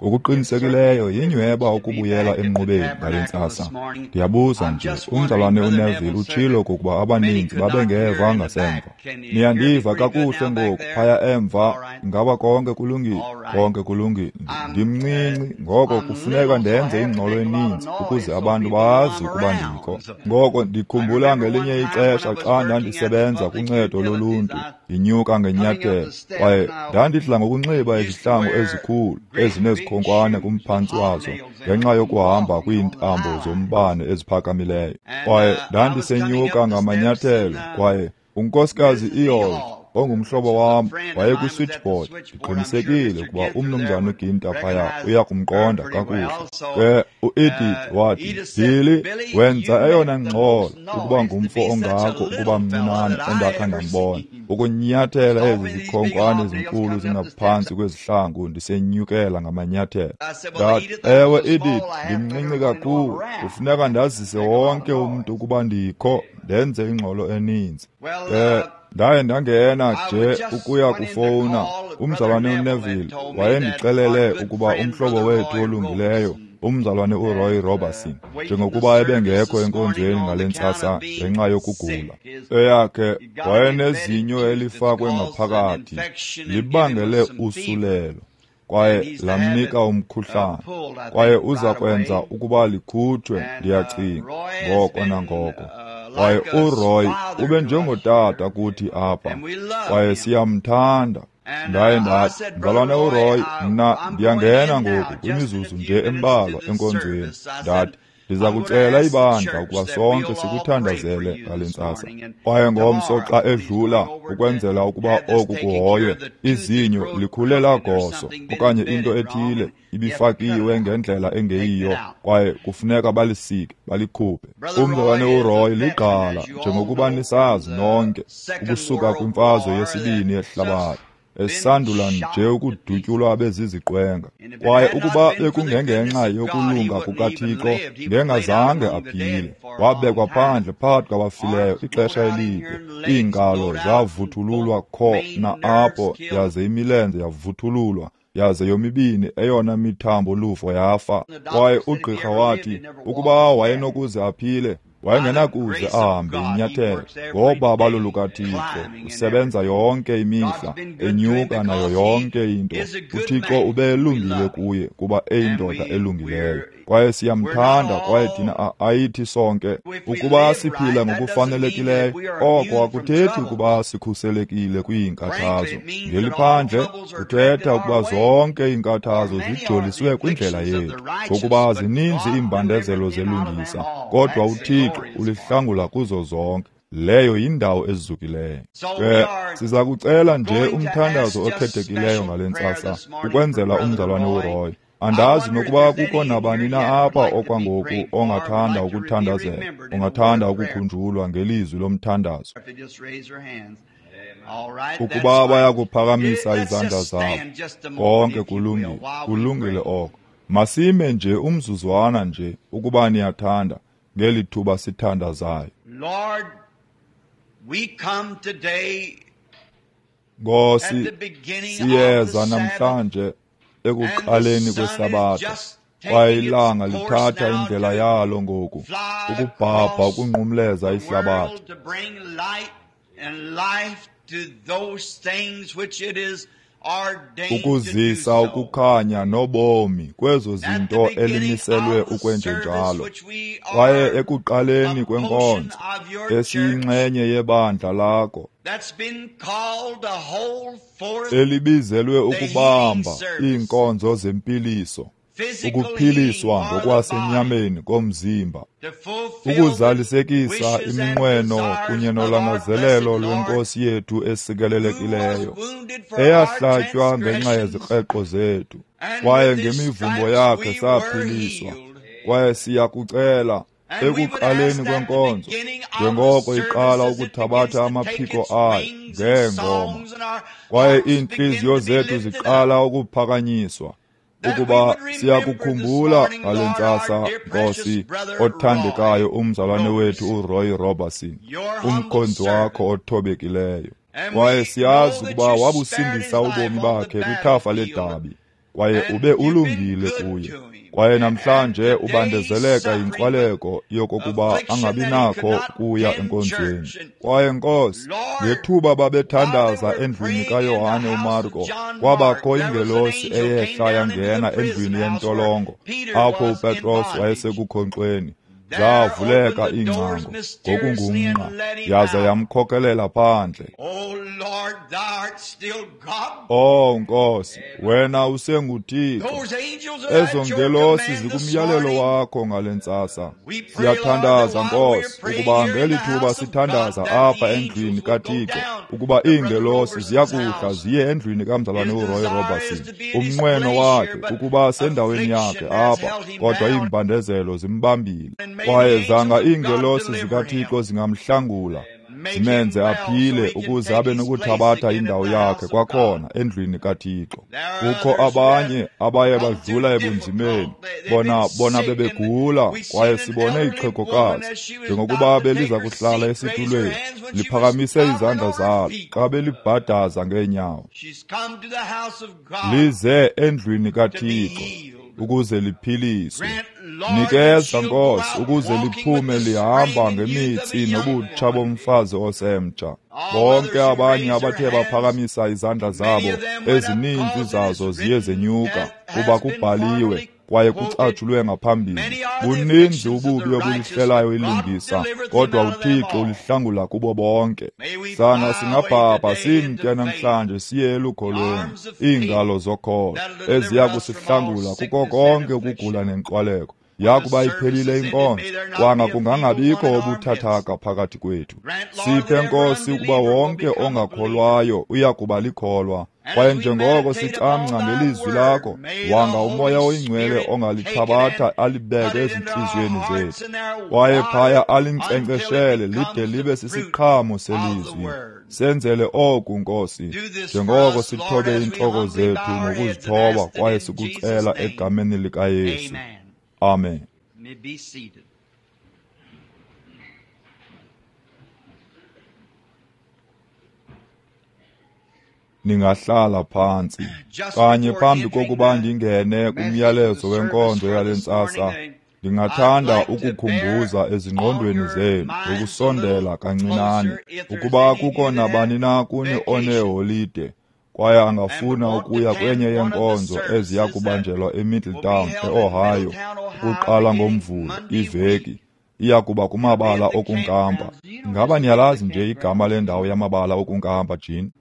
Ngokuqinisekileyo yinyweba ukubuyela emnqubeni ngale ntsasa. Ndiyabuza nje, umzalwane uNeville utshilo okokuba abaninzi babengeva ngasemva. Niyandiva kakuhle ngoku phaya emva? Ingaba konke kulungile? Konke kulungile. Ndimncinci, ngoko kufuneka ndenze ingxolo eninzi ukuze abantu bazi ukuba ndikho. Ngoko ndikhumbula ngelinye ixesha xa ndandisebenza kuncedo loluntu, ndinyuka ngenyathelo, kwaye ndandidla ngokunxiba izihlangu ezikhulu ezinezikhonkwane kumphantsi wazo ngenxa yokuhamba kwiintambo zombane eziphakamileyo. Kwaye ndandisenyuka ngamanyathelo, kwaye uNkosikazi Eold, ongumhlobo wam, wayekwi-switchboard. Ndiqinisekile ukuba umnumzana uGinta phaya uya kumqonda kakuhle. Ke uEdith wathi, "Billy, wenza eyona ngxolo ukuba ngumfo ongako ukuba mncinane endakha ndambona, ukunyathela ezi zikhonkwane zinkulu zingaphantsi kwezihlangu ndisenyukela ngamanyathelo." Ndathi, "Ewe, Edith, ndimncinci kakhulu, kufuneka ndazise wonke umntu ukuba ndikho, ndenze ingxolo eninzi." Ke ndaye ndangena nje ukuya kufowuna. Umzalwane uNeville wayendixelele ukuba umhlobo wethu olungileyo, umzalwane uRoy Roberson, njengokuba ebengekho enkonzweni ngale ntsasa ngenxa yokugula, eyakhe wayenezinyo elifakwe ngaphakathi libangele usulelo, kwaye lamnika umkhuhlane, kwaye uza kwenza ukuba likhutshwe, ndiyacinga, ngoko nangoko. Kwaye uRoy ube njengotata kuthi apha, kwaye siyamthanda. Ndaye ndathi, "Mzalwane uRoy, mna ndiyangena ngoku kwimizuzu nje embalwa enkonzweni." Ndathi, "Ndiza kucela ibandla ukuba sonke sikuthandazele ngale ntsasa. Kwaye ngomso xa edlula, ukwenzela ukuba oku kuhoywe, izinyo likhulela goso okanye into ethile ibifakiwe ngendlela engeyiyo, kwaye kufuneka balisike balikhuphe." Umzalwane uRoy ligqala, njengokuba nisazi nonke, ukusuka kwimfazwe yesibini yehlabathi, esandula nje ukudutyulwa beziziqwenga. Kwaye ukuba bekungengenxa yokulunga kukaThixo, ngengazange aphile. Wabekwa phandle phakathi kwabafileyo ixesha elide. Iingalo zavuthululwa kho na apho, yaze imilenze yavuthululwa, yaze yomibini eyona mithambo luvo yafa. Kwaye ugqirha wathi ukuba wayenokuze aphile, wayengenakuze ahambe inyathelo. Ngobabalo lukaThixo usebenza yonke imihla, enyuka nayo yonke into. UThixo ubelungile kuye kuba eyindoda elungileyo, kwaye siyamthanda. Kwaye thina ayithi sonke ukuba siphila ngokufanelekileyo, oko akuthethi ukuba sikhuselekile kwiinkathazo. Ngeliphandle kuthetha ukuba zonke iinkathazo zijoliswe kwindlela yethu, ngokuba zininzi iimbandezelo zelungisa, kodwa uThixo ulihlangula kuzo zonke. Leyo yindawo ezukileyo. Ke siza kucela nje umthandazo okhethekileyo ngale ntsasa ukwenzela umzalwane uRoy. Andazi nokuba kukho nabani na apha okwangoku ongathanda ukuthandazela, ongathanda ukukhunjulwa ngelizwi lomthandazo. Ukuba bayakuphakamisa izandla zabo. Konke kulungile, kulungile oko. Masime nje umzuzwana nje, ukuba niyathanda, ngeli thuba sithandazayo. Lord, we come today Nkosi, at the beginning of siyeza the Sabbath, namhlanje ekuqaleni and the sun is kwesabatha, just kwaye taking its ilanga course lithatha now indlela to yalo ngoku fly ukubhabha across ukunqumleza the ihlabathi, world to bring light and life to those things which it is ordained to do ukuzisa so. ukukhanya nobomi kwezo At the zinto beginning elimiselwe of the service ukwenjenjalo. which we Kwaye are ekuqaleni a portion kwenkonzo of your church esiyinxenye yebandla lakho, that's been called to hold forth elibizelwe the healing ukubamba service, iinkonzo zempiliso, physical healing ukuphiliswa for the body, ngokwasenyameni komzimba, to fulfill the ukuzalisekisa wishes and iminqweno desires kunye of our nolangazelelo blessed Lord, lweNkosi yethu who was esikelelekileyo, wounded for our eyahlatywa ngenxa transgressions, yezikreqo zethu, and kwaye with his ngemivumbo stripes yakhe we were saphiliswa. healed. Kwaye siyakucela And we would ask ekuqaleni that the kwenkonzo, beginning of the njengoko iqala service as it begins ukuthabatha to take amaphiko its ayo wings and ngeengoma, songs and our kwaye hearts begin iintliziyo to be zethu lifted up, ziqala ukuphakanyiswa, that we ukuba would remember this siyakukhumbula morning, ngale Lord, our ntsasa, dear precious Nkosi brother othandekayo, Roy umzalwane wethu Roberson, uRoy Roberson, your humble umkhonzi wakho servant. othobekileyo. And Kwaye we siyazi know that ukuba you spared wabusindisa his life ubomi on the bakhe kwithafa battlefield ledabi, Kwaye ube ulungile kuye. Kwaye namhlanje ubandezeleka yinkwaleko yokokuba angabi nakho kuya enkonzweni. Kwaye Nkosi, ngethuba babethandaza endlwini kaYohane uMarko, kwabakho ingelosi eyehla yangena endlwini yentolongo, apho uPetros wayesekukhonkxweni. Zavuleka iingcango ngokungumnqa, yaza yamkhokelela phandle. Oh Nkosi, wena usenguThixo. Ezo ngelosi zikumyalelo wakho ngale ntsasa. Siyathandaza Nkosi, ukuba ngeli thuba sithandaza apha endlwini kaThixo, ukuba iingelosi ziyakuhla ziye endlwini kamzalwane uRoy Robertson. Umnqweno wakhe kukuba sendaweni yakhe apha, kodwa iimbandezelo zimbambile. Kwaye zanga iingelosi zikaThixo zingamhlangula, zimenze aphile ukuze abe nokuthabatha indawo yakhe kwakhona endlwini kaThixo. Kukho abanye abaye badlula ebunzimeni, bona bebegula, kwaye sibone ixhegokazi njengokuba beliza kuhlala esitulweni, liphakamise izandla zalo xa belibhadaza ngeenyawo. Lize endlwini kaThixo ukuze liphiliswe. Nikeza Nkosi ukuze liphume lihamba ngemitsi nobutsha bomfazi osemtsha. Bonke abanye abathe baphakamisa izandla zabo, ezininzi zazo ziye zenyuka, kuba kubhaliwe kwaye kucatshulwe ngaphambili. Buninzi ububi obulihlelayo ilungisa, kodwa uThixo ulihlangula kubo bonke. Sanga singabhabha simke namhlanje siye elukholweni, iingalo zokholo eziya kusihlangula kuko konke ukugula nenkwaleko. Yakuba iphelile inkonzo, kwanga kungangabikho obuthathaka phakathi kwethu. Siphe Nkosi ukuba wonke ongakholwayo uya kuba likholwa. Kwaye njengoko sicamngca ngelizwi lakho, wanga uMoya oyiNgcwele ongalithabatha alibeke ezintliziyweni zethu, kwaye phaya alinkcenkceshele lide libe sisiqhamo selizwi. Senzele oku Nkosi, njengoko sithobe iintloko zethu ngokuzithoba kwaye sikucela egameni likaYesu. Amen. Ningahlala phantsi. Kanye phambi kokuba ndingene kumyalezo wenkonzo yale ntsasa, ndingathanda ukukhumbuza ezingqondweni zenu ngokusondela kancinane ukuba kukho nabani na kuni oneholide kwaye angafuna ukuya kwenye yeenkonzo eziya kubanjelwa eMiddletown, eOhio, ukuqala ngoMvulo iveki, iya kuba kumabala okunkampa. Ingaba niyalazi nje igama lendawo yamabala okunkampa, Jean?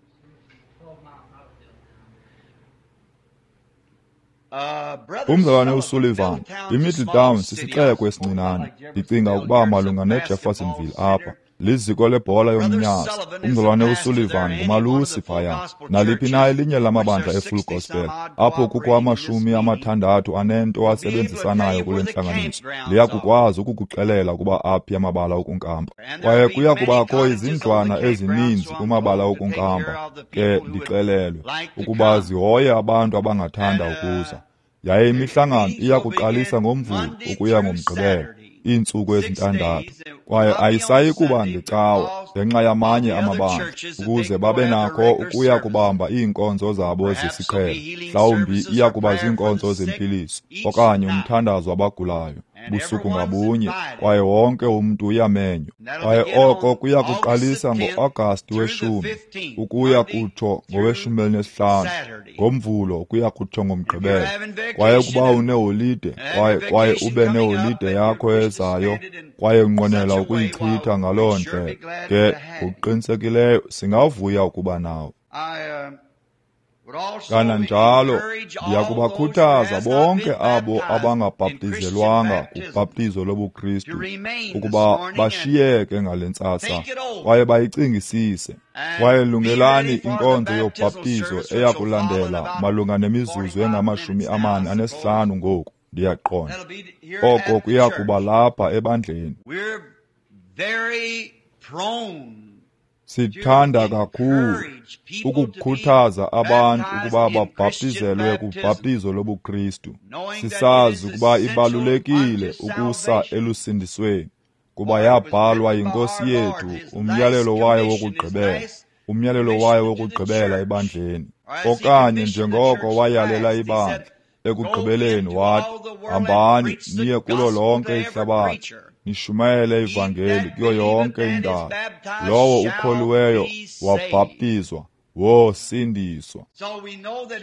Umzalwane uSullivan, iMiddletown sisixeko esincinane, ndicinga ukuba malunga neJeffersonville apha. Liziko lebhola yomnyazi. Umzalwane uSullivan ngumalusi phaya. Naliphi na elinye lamabandla eFull Gospel, apho kukho 60 asebenzisanayo kule ntlanganiso, liya kukwazi ukukuxelela ukuba aphi amabala okunkampa. Kwaye kuya kubakho izindlwana ezininzi kumabala okunkampa, ke ndixelelwe ukuba zihoye abantu abangathanda ukuza. Yaye imihlangano iya kuqalisa ngoMvulo ukuya ngoMgqibelo, iintsuku ezintandathu, kwaye ayisayi kuba ngecawa ngenxa yamanye amabandla, ukuze babe nakho ukuya kubamba iinkonzo zabo zesiqhelo. Mhlawumbi iya kuba ziinkonzo zempiliso okanye umthandazo wabagulayo busuku ngabunye, kwaye wonke umntu uyamenywa. Kwaye oko kuya kuqalisa ngo-Agasti 10 ukuya kutsho ngowe-15, ngoMvulo ukuya kutsho ngoMgqibelo. Kwaye ukuba uneholide, kwaye ube neholide yakho ezayo, kwaye unqwenela ukuyichitha ngaloo ndlela, ke ngokuqinisekileyo singavuya ukuba nawe. Kananjalo ndiyakubakhuthaza bonke abo abangabhaptizelwanga kubhaptizo lobuKristu ukuba bashiyeke ngale ntsasa kwaye bayicingisise. Kwaye lungelani inkonzo yobhaptizo eya kulandela malunga nemizuzu engama-45 ngoku, ndiyaqonda. Oko kuya kuba lapha ebandleni. Sithanda kakhulu ukukhuthaza abantu ukuba babhaptizelwe kubhaptizo lobuKristu, sisazi ukuba ibalulekile ukusa elusindisweni, kuba yabhalwa yiNkosi yethu umyalelo wayo wokugqibela, umyalelo wayo wokugqibela ebandleni. Okanye njengoko wayalela ibandla, ekugqibeleni wathi, hambani niye kulo lonke ihlabathi, nishumayele ivangeli kuyo yonke indawo. Lowo ukholiweyo wabhaptizwa wosindiswa.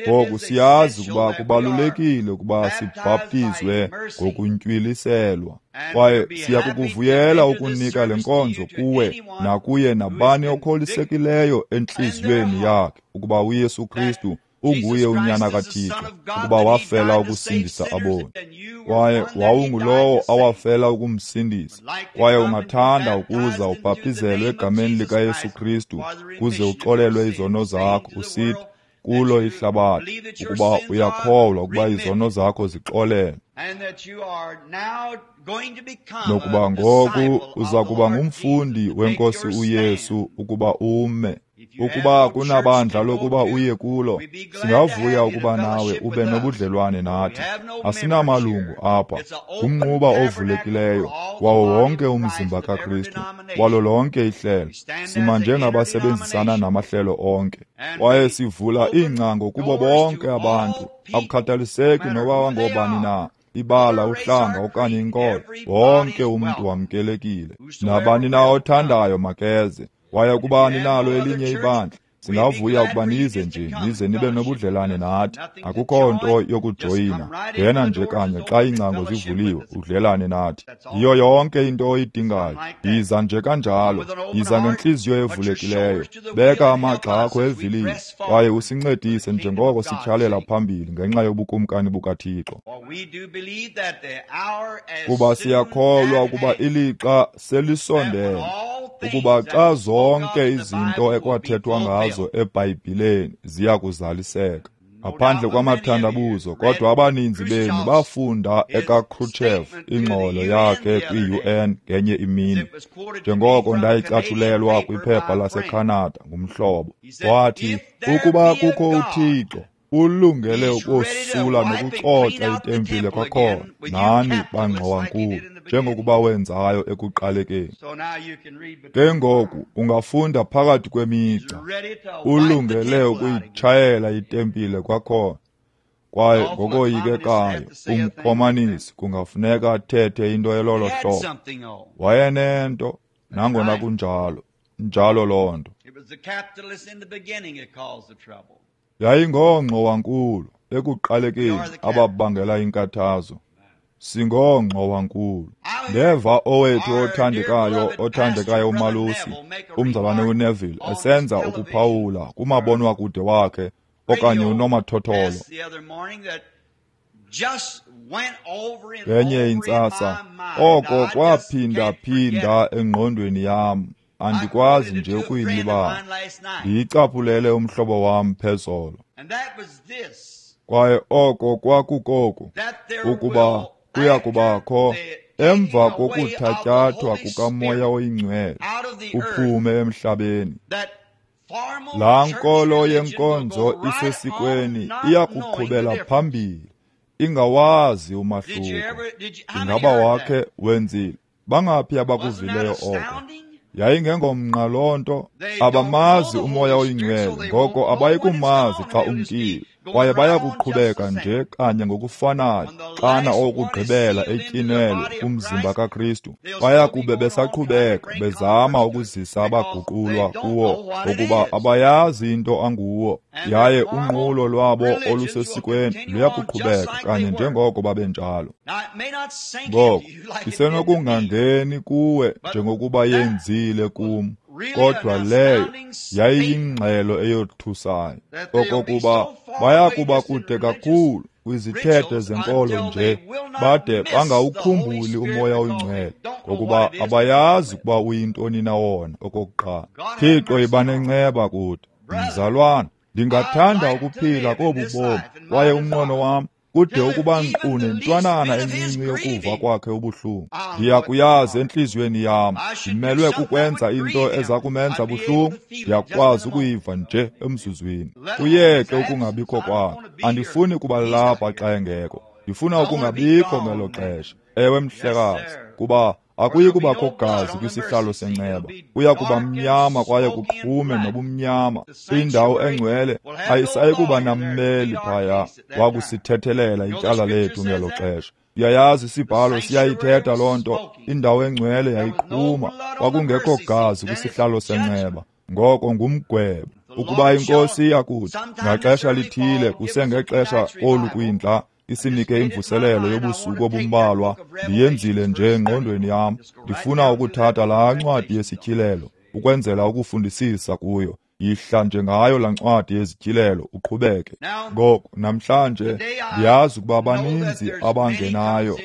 Ngoku siyazi ukuba kubalulekile ukuba sibhaptizwe ngokuntywiliselwa, kwaye siyakukuvuyela ukunika le nkonzo kuwe nakuye nabani okholisekileyo entliziyweni yakhe ukuba uYesu Kristu unguye uNyana kaThixo, ukuba wafela ukusindisa aboni, kwaye wawungulowo awafela ukumsindisa. Kwaye ungathanda ukuza ubhaptizelwe egameni likaYesu Kristu kuze uxolelwe izono zakho, usithi kulo ihlabathi ukuba uyakholwa ukuba izono zakho zixolelwe, nokuba ngoku uza kuba ngumfundi weNkosi uYesu ukuba ume. Ukuba kunabandla lokuba uye kulo, singavuya ukuba nawe ube nobudlelwane nathi. Asinamalungu apha, ngumnquba ovulekileyo wawo wonke umzimba kaKristu, walo lonke ihlelo. Sima njengabasebenzisana namahlelo onke, kwaye sivula iingcango kubo bonke abantu, akukhathaliseki noba ngobani na, ibala, uhlanga okanye inkolo. Wonke umntu wamkelekile. Nabani na othandayo makeze. Kwaye ukuba ninalo elinye ibandla, singavuya ukuba nize nje, nize nibe nobudlelane nathi. Akukho nto yokujoyina, ngena nje kanye xa iingcango zivuliwe, udlelane nathi. Yiyo yonke into oyidingayo. Yiza nje kanjalo, yiza ngentliziyo evulekileyo, beka amagxa akho evilini, kwaye usincedise njengoko sityhalela phambili ngenxa yobukumkani bukaThixo. Kuba siyakholwa ukuba ilixa selisondele, ukuba xa zonke izinto ekwathethwa ngazo eBhayibhileni ziya kuzaliseka, ngaphandle kwamathandabuzo. Kodwa abaninzi benu bafunda ekaKhrushchev ingxolo yakhe kwi-UN ngenye imini, njengoko ndayicatshulelwa kwiphepha laseCanada ngumhlobo. Wathi, ukuba kukho uThixo, ulungele ukosula nokucoca itempile kwakhona nani bangxowankulu, njengokuba wenzayo ekuqalekeni. Ke ngoku ungafunda phakathi kwemigca, ulungele ukuyitshayela itempile kwakhona. Kwaye ngokoyikekayo umkomanisi kungafuneka athethe into elolo hlobo. Wayenento, nangona kunjalo, njalo loo nto. Yayingoongxowankulu ekuqalekeni ababangela inkathazo. Singoongxowankulu. Ndeva owethu othandekayo umalusi, umzalwane uNeville, esenza ukuphawula kumabonwakude wakhe okanye unomathotholo ngenye intsasa. Oko kwaphinda-phinda engqondweni yam, andikwazi nje ukuyilibala. Ndiyicaphulele umhlobo wam phezolo. Kwaye oko kwakukoku, ukuba kuya kubakho emva kokuthatyathwa kukaMoya oyiNgcwele uphume emhlabeni, laa nkolo yenkonzo isesikweni iya kuqhubela phambili ingawazi umahluko. Ingaba wakhe wenzile? Bangaphi abakuvileyo oko? Yayingengomnqa loo nto. Abamazi uMoya oyiNgcwele, ngoko abayikumazi xa umkile, kwaye bayakuqhubeka nje kanye ngokufanayo xana okugqibela etyinelwe kumzimba kaKristu. Bayakube besaqhubeka bezama ukuzisa abaguqulwa kuwo, ngokuba abayazi into anguwo, yaye unqulo lwabo olusesikweni luyakuqhubeka kanye njengoko babenjalo. Ngoko isenokungangeni kuwe njengokuba yenzile kum, kodwa leyo yayiyingxelo eyothusayo, okokuba bayakuba kude kakhulu kwizithethe zenkolo nje bade bangawukhumbuli uMoya oyiNgcwele, ngokuba abayazi ukuba uyintoni na wona. Okokuqala, Thixo yiba nenceba kude. Mzalwana, ndingathanda ukuphila kobu bomi, kwaye umnqweno wam kude ukuba nkqu nentwanana encinci yokuva kwakhe ubuhlungu. Ndiyakuyazi entliziyweni yam, ndimelwe kukwenza into eza kumenza buhlungu, ndiyakwazi ukuyiva nje emzuzwini. Kuyeke ukungabikho kwakhe. Andifuni kuba lapha xa engekho, ndifuna ukungabikho ngelo xesha. Ewe mhlekazi, kuba Akuyi kubakho gazi kwisihlalo senceba. Kuya kuba mnyama kwaye kuqhume nobumnyama. Indawo engcwele ayisayi kuba nammeli phaya wakusithethelela ityala lethu ngelo xesha. Uyayazi isibhalo siyayithetha loo nto. Indawo engcwele yayiqhuma, kwakungekho gazi kwisihlalo senceba. Ngoko ngumgwebo. Ukuba inkosi iyakuthi ngaxesha lithile kusengexesha olu kwindla isinike imvuselelo yobusuku obumbalwa, ndiyenzile nje engqondweni yam. Ndifuna ukuthatha laa ncwadi yesityhilelo ukwenzela ukufundisisa kuyo. Yihla nje ngayo laa ncwadi yezityhilelo uqhubeke. Ngoku namhlanje ndiyazi ukuba baninzi abangenayo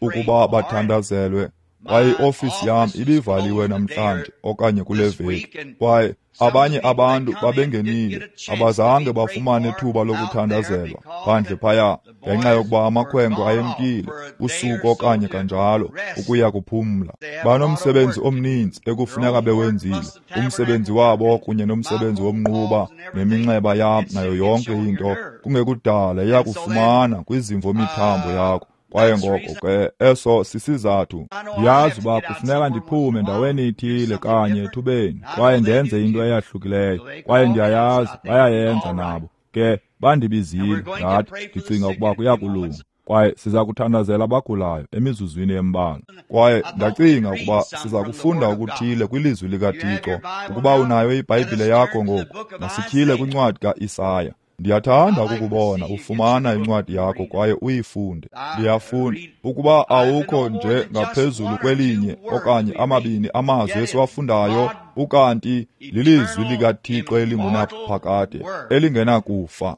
ukuba bathandazelwe, kwaye iofisi yam ibivaliwe namhlanje okanye kule veki, kwaye abanye abantu babengenile abazange bafumane thuba lokuthandazelwa phandle phaya ngenxa yokuba amakhwenkwe ayemkile usuku okanye kanjalo ukuya kuphumla. Banomsebenzi omninzi ekufuneka bewenzile, umsebenzi wabo kunye nomsebenzi womnquba neminxeba yam nayo yonke into. Kungekudala iyakufumana kwizimvo-mithambo yakho. Kwaye ngoko ke eso sisizathu. Ndiyazi uba kufuneka ndiphume ndaweni ithile kanye ethubeni kwaye ndenze into eyahlukileyo, kwaye ndiyayazi bayayenza nabo. Ke bandibizile, ndathi ndicinga ukuba kuyakulunga. Kwaye siza kuthandazela abagulayo emizuzwini embalwa. Kwaye ndacinga ukuba siza kufunda okuthile kwilizwi likaThixo. Ukuba unayo iBhayibhile yakho ngoku, masityhile kwincwadi kaIsaya. Ndiyathanda ukukubona ufumana incwadi yakho kwaye uyifunde. Ndiyafunda ukuba awukho nje ngaphezulu kwelinye okanye amabini amazwi esiwafundayo, ukanti lilizwi likaThixo elingunaphakade, elingenakufa.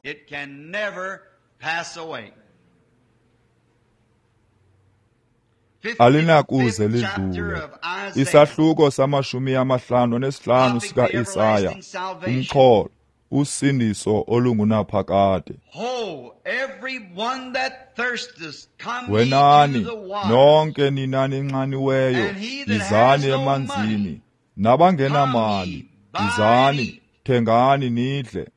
Alinakuze lidlule. Isahluko 55 sika-Isaya, umxholo usindiso olungunaphakade. Wenani nonke nina ninxaniweyo, yizani emanzini, nabangenamali, yizani, thengani nidle.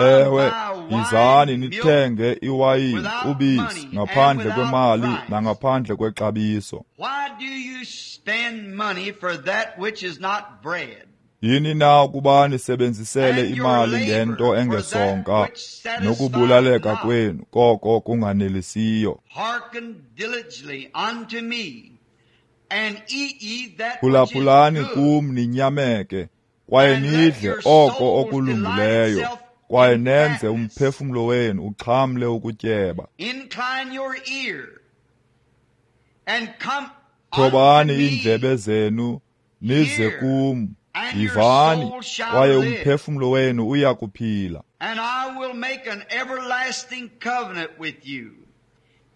Ewe, yizani nithenge iwayini, ubisi, ngaphandle kwemali nangaphandle kwexabiso. Yini na ukuba nisebenzisele imali ngento engesonka, nokubulaleka kwenu koko kunganelisiyo? Phulaphulani kum ninyameke, kwaye nidle oko okulungileyo, kwaye nenze umphefumlo wenu uxhamle ukutyeba. Thobani iindlebe zenu nize kum, yivani, kwaye umphefumlo wenu uya kuphila. And I will make an everlasting covenant with you,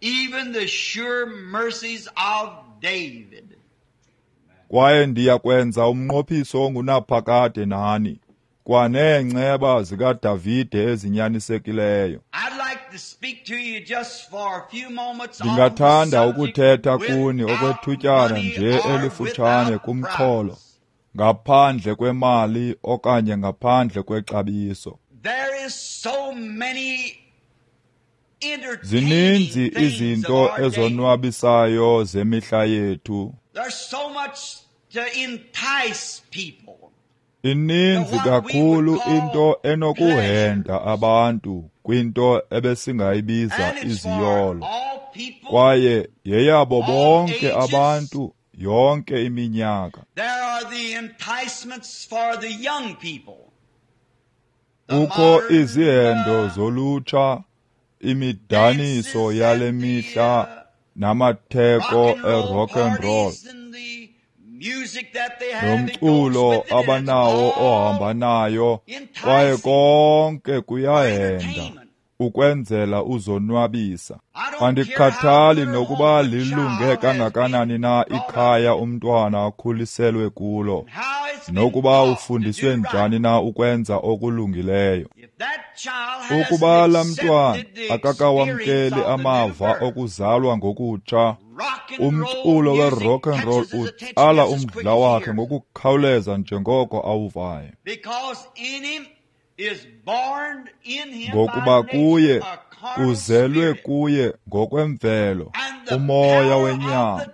even the sure mercies of David. Kwaye ndiya kwenza umnqophiso ongunaphakade nani, kwaneenceba zikaDavide ezinyanisekileyo. Ndingathanda ukuthetha kuni okwethutyana nje elifutshane kumxholo ngaphandle kwemali okanye ngaphandle kwexabiso. Zininzi izinto ezonwabisayo zemihla yethu. Ininzi kakhulu into enokuhenda abantu kwinto ebesingayibiza iziyolo, kwaye yeyabo bonke abantu yonke iminyaka. Kukho izihendo zolutsha, imidaniso yale mihla namatheko e-rock and roll, nomculo abanawo ohamba nayo, kwaye konke kuyahenda ukwenzela uzonwabisa. Andikhathali nokuba lilunge kangakanani na ikhaya umntwana akhuliselwe kulo, nokuba ufundiswe njani na ukwenza okulungileyo. Ukuba laa mntwana akakawamkeli amava okuzalwa ngokutsha, umculo we-rock and roll utsala umdla wakhe ngokukhawuleza njengoko awuvayo. Ngokuba kuye kuzelwe kuye ngokwemvelo umoya wenyama.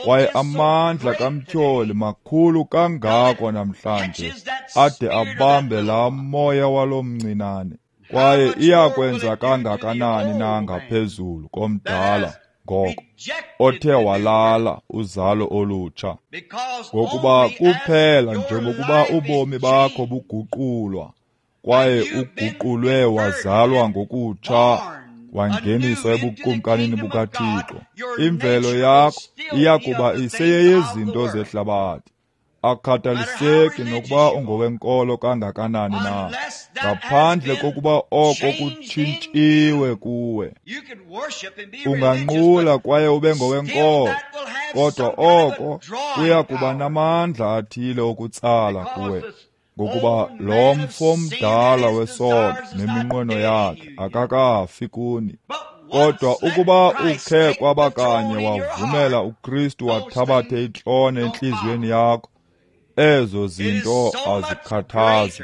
Kwaye amandla kamtyholi makhulu kangako namhlanje ade abambe laa moya walo mncinane. Kwaye iyakwenza kangakanani na ngaphezulu komdala ngoko othe walala uzalo olutsha? Ngokuba kuphela njengokuba ubomi bakho buguqulwa kwaye uguqulwe wazalwa ngokutsha wangeniswa ebukumkanini bukaThixo, imvelo yakho iyakuba iseyeyezinto zehlabathi. Akhathaliseki nokuba ungowenkolo kangakanani na, ngaphandle kokuba oko kutshintshiwe kuwe. Unganqula kwaye ube ngowenkolo, kodwa oko kuya kuba namandla athile okutsala kuwe, ngokuba lo mfo mdala wesono neminqweno yakhe akakafi kuni. Kodwa ukuba ukhe kwaba kanye wavumela uKristu wathabathe itrone entliziyweni yakho, ezo zinto azikhathazi.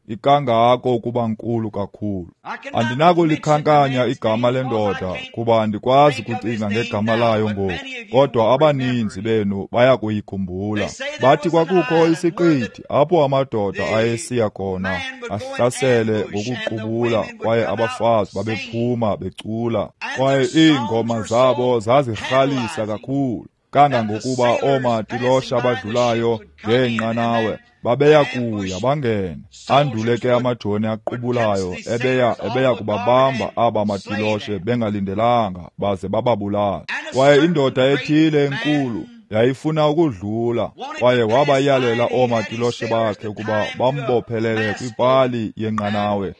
Ikangako ukuba nkulu kakhulu. Andinakulikhankanya igama lendoda kuba andikwazi kucinga ngegama layo ngoku, kodwa abaninzi benu bayakuyikhumbula. Bathi kwakukho isiqithi apho amadoda ayesiya khona ahlasele ngokuqubula, kwaye abafazi babephuma becula, kwaye iingoma zabo zazirhalisa kakhulu kangangokuba oomatilosha abadlulayo ngeenqanawe babeya kuya bangene. Andule ke amajoni aqubulayo ebeya kubabamba aba matiloshe bengalindelanga baze bababulala. Kwaye indoda ethile enkulu yayifuna ukudlula, kwaye wabayalela oomatiloshe bakhe ukuba bambophelele kwipali yenqanawe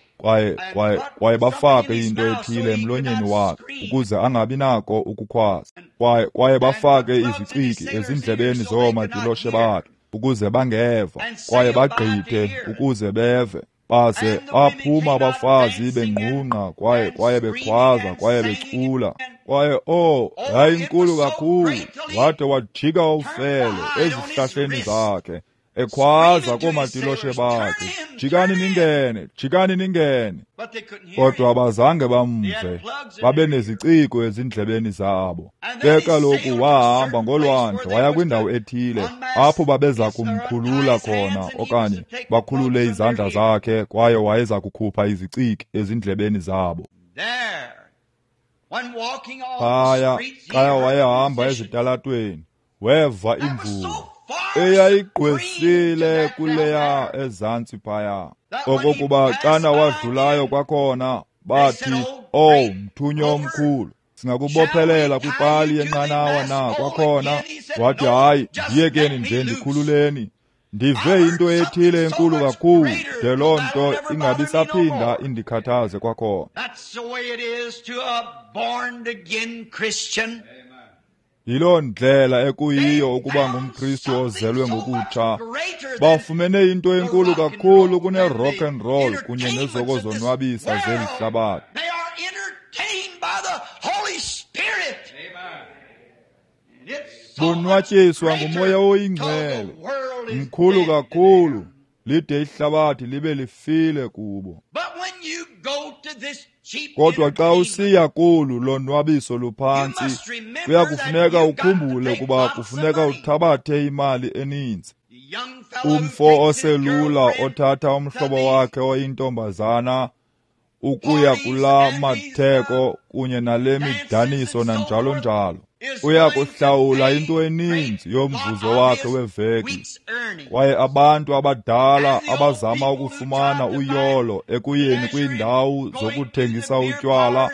kwaye bafake into ethile emlonyeni wakhe ukuze angabi nako ukukhwaza, kwaye bafake iziciki ezindlebeni zoomatiloshe bakhe ukuze bangeva, kwaye bagqithe ukuze beve. Baze baphuma abafazi bengqungqa kwaye bekhwaza kwaye becula. Kwaye yayinkulu kakhulu, wade wajika ufele ezihlahleni zakhe ekhwaza koomatiloshe bakhe, jikani ningene, jikani ningene. Kodwa abazange bamve, babe neziciko ezindlebeni zabo. Ke kaloku wahamba ngolwandle waya kwindawo ethile apho babeza kumkhulula khona, okanye bakhulule izandla zakhe, kwaye wayeza kukhupha iziciki ezindlebeni zabo. Phaya xa wayehamba ezitalatweni, weva imvula eyayigqwesile kuleya ezantsi phaya, okokuba xana wadlulayo kwakhona bathi, "Oh, mthunywa omkhulu, singakubophelela kwipali yenqanawa na kwakhona?" Wathi, "Hayi, ndiyekeni nje, ndikhululeni. Ndive into ethile enkulu kakhulu de loo nto ingabisaphinda indikhathaze kwakhona." Yiloo ndlela ekuyiyo ukuba ngumKristu ozelwe ngokutsha. Bafumene into enkulu kakhulu kune-rock and roll kunye nezokozonwabisa zeli hlabathi. Bonwatyiswa nguMoya oyiNgcwele, mkhulu kakhulu, lide ihlabathi libe lifile kubo. Kodwa xa usiya kolu lonwabiso luphantsi, kuyakufuneka ukhumbule ukuba kufuneka uthabathe imali eninzi. Umfo oselula othatha umhlobo wakhe oyintombazana ukuya kulaa matheko kunye nale midaniso nanjalo njalo, uya kuhlawula into eninzi yomvuzo wakhe weveki. Kwaye abantu abadala abazama ukufumana uyolo ekuyeni kwiindawo zokuthengisa utywala,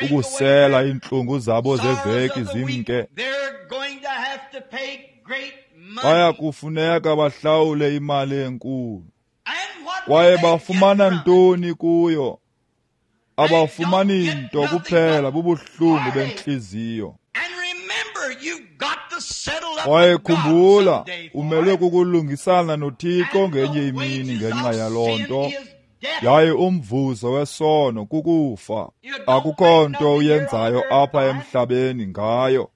ukusela iintlungu zabo zeveki zimke, baya kufuneka bahlawule imali enkulu. Kwaye bafumana ntoni kuyo? Abafumani nto kuphela bubuhlungu bentliziyo. Kwaye khumbula, umelwe kukulungisana noThixo ngenye imini ngenxa yaloo nto. Yaye umvuzo wesono kukufa. Akukho nto uyenzayo apha emhlabeni ngayo.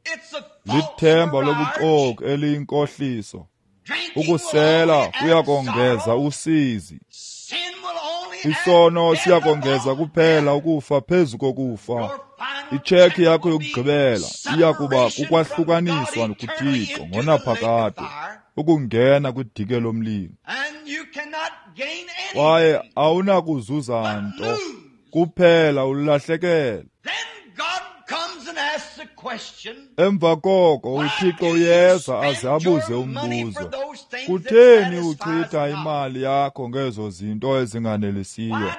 Lithemba lobuxoki eliyinkohliso. Ukusela kuyakongeza usizi. Isono siyakongeza kuphela ukufa phezu kokufa. Itshekhi yakho yokugqibela iya kuba kukwahlukaniswa kuThixo ngonaphakade, ukungena kwidike lomlilo. Kwaye awunakuzuza nto, kuphela ulahlekele. Emva koko uThixo uyeza aze abuze umbuzo, kutheni uchitha imali yakho ngezo zinto ezinganelisiyo?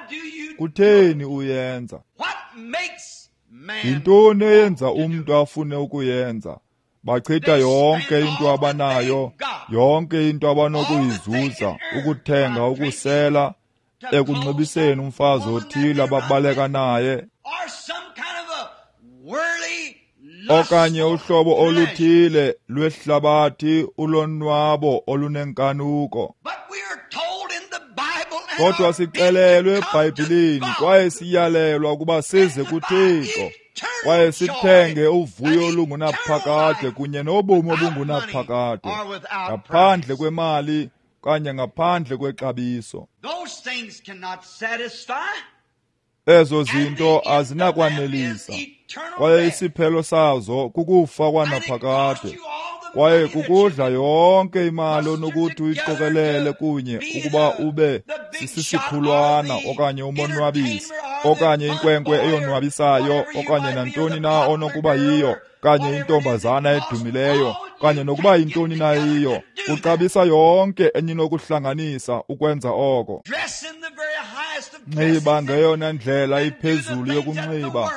Kutheni uyenza? Yintoni eyenza umntu afune ukuyenza? Bachitha yonke into abanayo, yonke into abanokuyizuza, ukuthenga, ukusela, ekunxibiseni umfazi othile ababaleka naye, okanye uhlobo oluthile lwehlabathi ulonwabo olunenkanuko. Kodwa sixelelwe eBhayibhilini kwaye siyalelwa ukuba size kuThixo kwaye sithenge uvuyo olungunaphakade kunye nobomi obungunaphakade, ngaphandle kwemali kanye ngaphandle kwexabiso. Ezo zinto azinakwanelisa, kwaye isiphelo sazo kukufa kwanaphakade, kwaye kukudla yonke imali onokuthi uyiqokelele kunye ukuba ube sisisikhulwana okanye umonwabisi okanye inkwenkwe eyonwabisayo okanye nantoni na onokuba yiyo, okanye intombazana edumileyo, okanye nokuba yintoni na yiyo. Kuxabisa yonke eninokuhlanganisa ukwenza oko. Nxiba ngeyona ndlela iphezulu yokunxiba,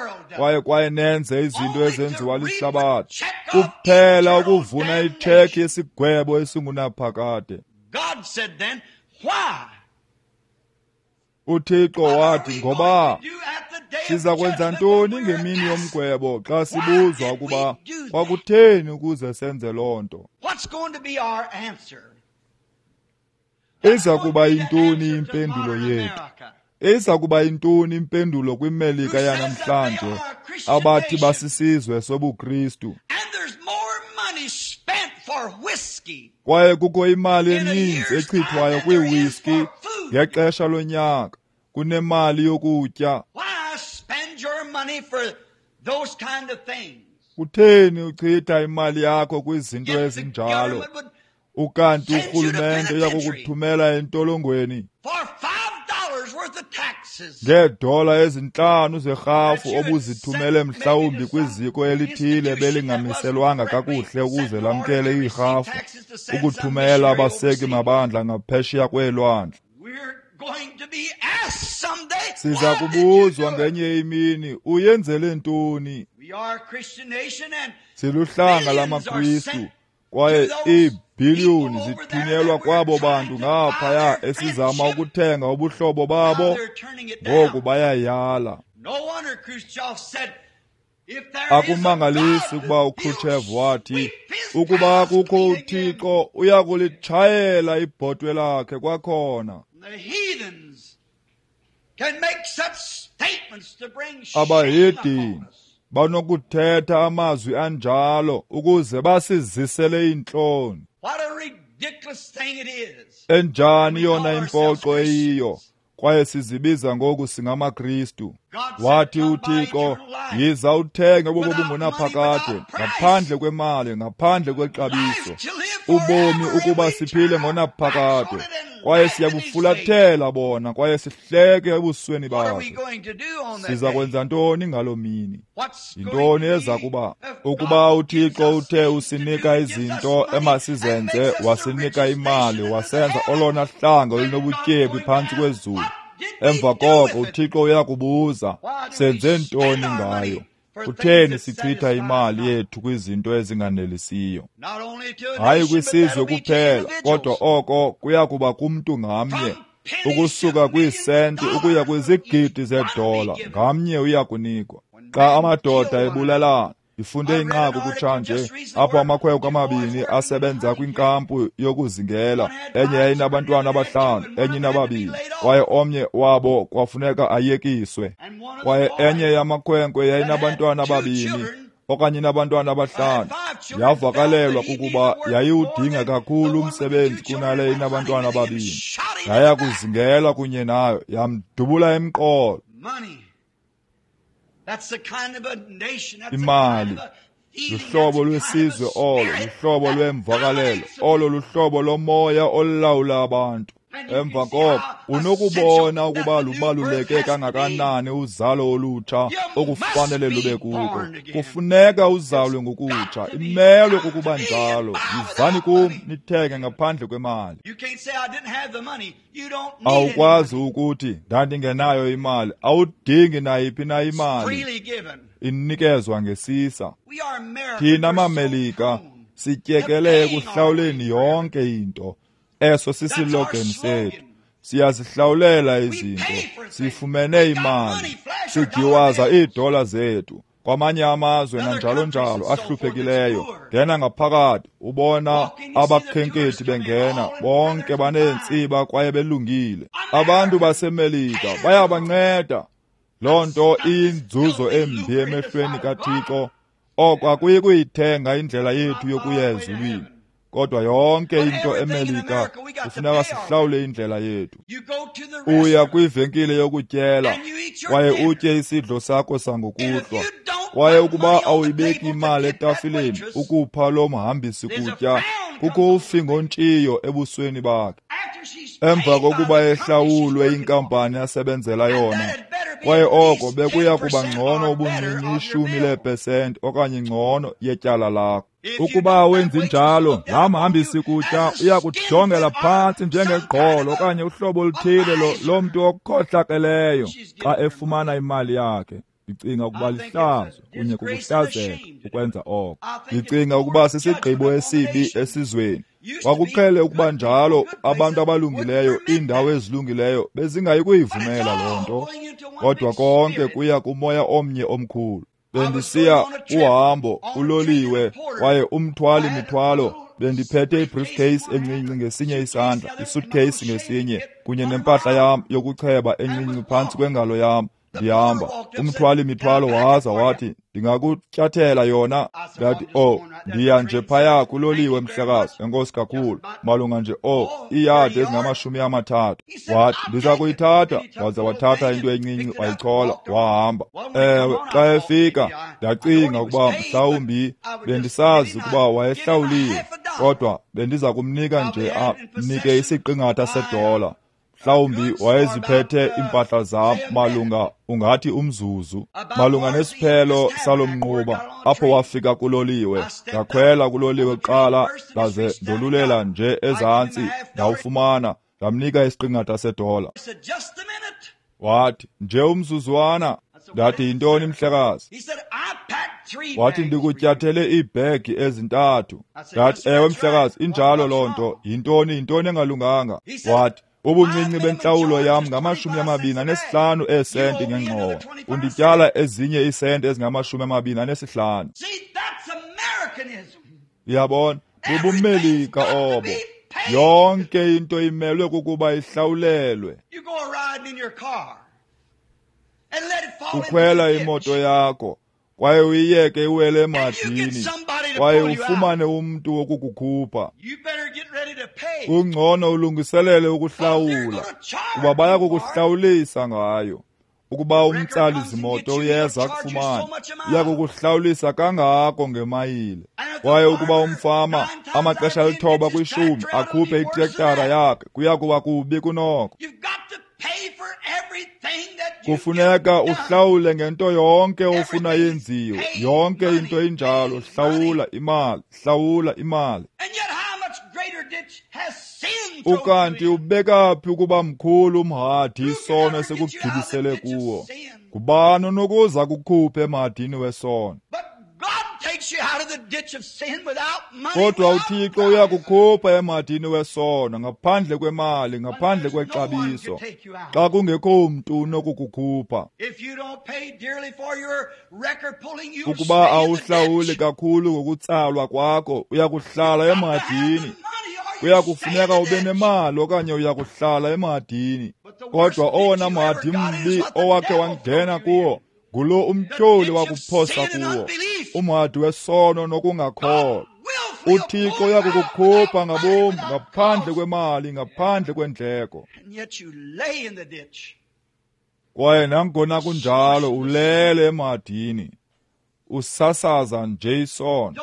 kwaye nenze izinto ezenziwa lihlabathi, kuphela ukuvuna itshekhi yesigwebo esingunaphakade. UThixo wathi, ngoba siza kwenza ntoni ngemini yomgwebo xa sibuzwa ukuba kwakutheni ukuze senze loo nto? Iza kuba yintoni impendulo yethu? Iza kuba yintoni impendulo kwiMelika yanamhlanje abathi basisizwe sobuKristu? Kwaye kukho imali eninzi echithwayo kwiiwiski ngexesha lonyaka kunemali yokutya. Kutheni uchitha imali yakho kwizinto ezinjalo? Ukanti urhulumente uyakukuthumela entolongweni ngeedola ezintlanu zerhafu obuzithumele mhlawumbi kwiziko elithile belingamiselwanga kakuhle ukuze lamkele iirhafu, ukuthumela abaseki mabandla ngaphesheya kweelwandle. Siza kubuzwa ngenye imini, uyenzele ntoni? Siluhlanga lamaKristu, kwaye iibhiliyoni zithunyelwa kwabo bantu ngaphaya esizama ukuthenga ubuhlobo babo, ngoku bayayala. Akumangalisi ukuba uKhrushchev wathi, ukuba kukho uThixo uyakulitshayela ibhotwe lakhe kwakhona. Abahedeni banokuthetha amazwi anjalo ukuze basizisele iintloni. Enjani yona impoxo eyiyo, kwaye sizibiza ngoku singamaKristu. Wathi uThixo, yiza uthenge ubomi obungunaphakade, ngaphandle kwemali, ngaphandle kwexabiso, ubomi ukuba siphile ngonaphakade. Kwaye siyabufulathela bona kwaye sihleke ebusweni bakhe. Siza kwenza ntoni ngaloo mini? Yintoni eza kuba? Ukuba uThixo uthe usinika izinto emasizenze, wasinika imali, wasenza olona hlanga olunobutyebi phantsi kwezulu, emva koko uThixo uyakubuza, senze ntoni ngayo? Kutheni sichitha imali yethu kwizinto ezinganelisiyo? Hayi kwisizwe kuphela, kodwa oko kuya kuba kumntu ngamnye, ukusuka kwiisenti ukuya kwizigidi zeedola, ngamnye uya kunikwa. Xa amadoda ebulalana, ndifunde inqaku kutshanje apho amakhwenkwe amabini asebenza kwinkampu yokuzingela, enye yayinabantwana abahlanu, enye inababini, kwaye omnye wabo kwafuneka ayekiswe. Kwaye enye yamakhwenkwe yayinabantwana ababini okanye inabantwana abahlanu, yavakalelwa kukuba yayiwudinga kakhulu umsebenzi kunale inabantwana ababini. Yaya kuzingela kunye nayo, yamdubula emqolo. Imali luhlobo lwesizwe olo, luhlobo lwemvakalelo olo, luhlobo lomoya olulawula abantu. Emva koko unokubona ukuba lubaluleke kangakanani uzalo olutsha okufanele lube kuko. Kufuneka uzalwe ngokutsha, imelwe kukuba njalo. Yizani kum nithenge ngaphandle kwemali. Awukwazi ukuthi ndandingenayo imali. Awudingi nayiphi na imali, inikezwa ngesisa. Thina maMelika sityekele ekuhlawuleni yonke into. Eso sisilogeni sethu. Siyazihlawulela izinto, sifumene imali, sigiwaza iidola zethu kwamanye amazwe nanjalo njalo ahluphekileyo. Ngena ngaphakathi ubona abakhenkethi bengena, bonke baneentsiba kwaye belungile. Abantu baseMelika bayabanceda. Loo nto iyinzuzo embi emehlweni kaThixo. Oko akuyi kuyithenga indlela yethu yokuya ezulwini. Kodwa yonke into eMelika kufuneka sihlawule indlela yethu. Uya kwivenkile yokutyela kwaye utye isidlo sakho sangokuhlwa, kwaye ukuba awuyibeki imali etafileni ukupha lo mhambisi kutya, kukho ufingontshiyo ebusweni bakhe. Emva kokuba ehlawulwe inkampani asebenzela yona, kwaye oko bekuya kuba ngcono ubuncinci 10% okanye ngcono yetyala lakho. Ukuba awenzi njalo, laa mhambisi kutya uya kujongela phantsi njengegqolo okanye uhlobo oluthile lomntu okhohlakeleyo xa efumana imali yakhe. Ndicinga ukuba lihlazo kunye kukuhlazeka ukwenza oko. Ndicinga ukuba sisigqibo esibi esizweni. Kwakuqhele ukuba njalo, abantu abalungileyo, iindawo ezilungileyo bezingayi kuyivumela loo nto. Kodwa konke kuya kumoya omnye omkhulu. Bendisiya uhambo uloliwe kwaye umthwali mithwalo, bendiphethe ibriefcase encinci ngesinye isandla, isuitcase ngesinye, kunye nempahla yam yokucheba encinci phantsi kwengalo yam. Ndihamba, umthwali mithwalo waza wathi, ndingakutyathela yona? Ndathi, oh, ndiya nje phaya kuloliwe mhlekazi, enkosi kakhulu, malunga nje iiyadi ezingama-30. Wathi, ndiza kuyithatha. Waza wathatha into encinci wayichola wahamba. Ewe, xa efika ndacinga ukuba mhlawumbi bendisazi ukuba wayehlawuliwe, kodwa bendiza kumnika nje amnike isiqingatha sedola. Mhlawumbi wayeziphethe iimpahla zam malunga ungathi umzuzu, malunga nesiphelo salo mnquba apho wafika kuloliwe. Ndakhwela kuloliwe kuqala, ndaze ndolulela nje ezantsi, ndawufumana, ndamnika isiqingatha sedola. Wathi, nje umzuzwana. Ndathi, yintoni mhlekazi? Wathi, ndikutyathele iibhegi ezintathu. Ndathi, ewe mhlekazi, injalo loo nto. Yintoni engalunganga? Wathi, ubuncinci bentlawulo yam ngama-25 eesenti ngengxowa. Undityala ezinye iisenti ezingama-25. Uyabona, bubuMelika obo. Yonke into imelwe kukuba ihlawulelwe. Ukhwela imoto yakho kwaye uyiyeke iwele emadini, kwaye ufumane umntu wokukukhupha. Kungcono ulungiselele ukuhlawula, kuba baya kukuhlawulisa ngayo. Ukuba umtsali zimoto uyeza akufumane, uya kukuhlawulisa kangako ngemayile. Kwaye ukuba umfama amaxesha 9 kwi-10 akhuphe itrektara yakhe, kuya kuba kubi kunoko. Kufuneka uhlawule ngento yonke ofuna yenziwe. Yonke into injalo, hlawula imali, hlawula imali. Ukanti ubeka phi ukuba mkhulu umhadi isono esikugibisele kuwo? Ngubani onokuza kukhuphe emhadini wesono? Kodwa uThixo uyakukhupha emhadini wesono ngaphandle kwemali, ngaphandle kwexabiso, xa kungekho mntu unokukukhupha. Ukuba awuhlawuli kakhulu ngokutsalwa kwakho, uyakuhlala emhadini. Kuyakufuneka ube nemali okanye uyakuhlala emhadini. Kodwa owona mhadi mbi owakhe wangena kuwo ngulo umtyholi wakuphosa kuwo, umhadi wesono nokungakholwa. uThixo uyakukukhupha ngabom ngaphandle kwemali, ngaphandle kwendleko. Kwaye nangona kunjalo ulele emhadini, usasaza nje isono,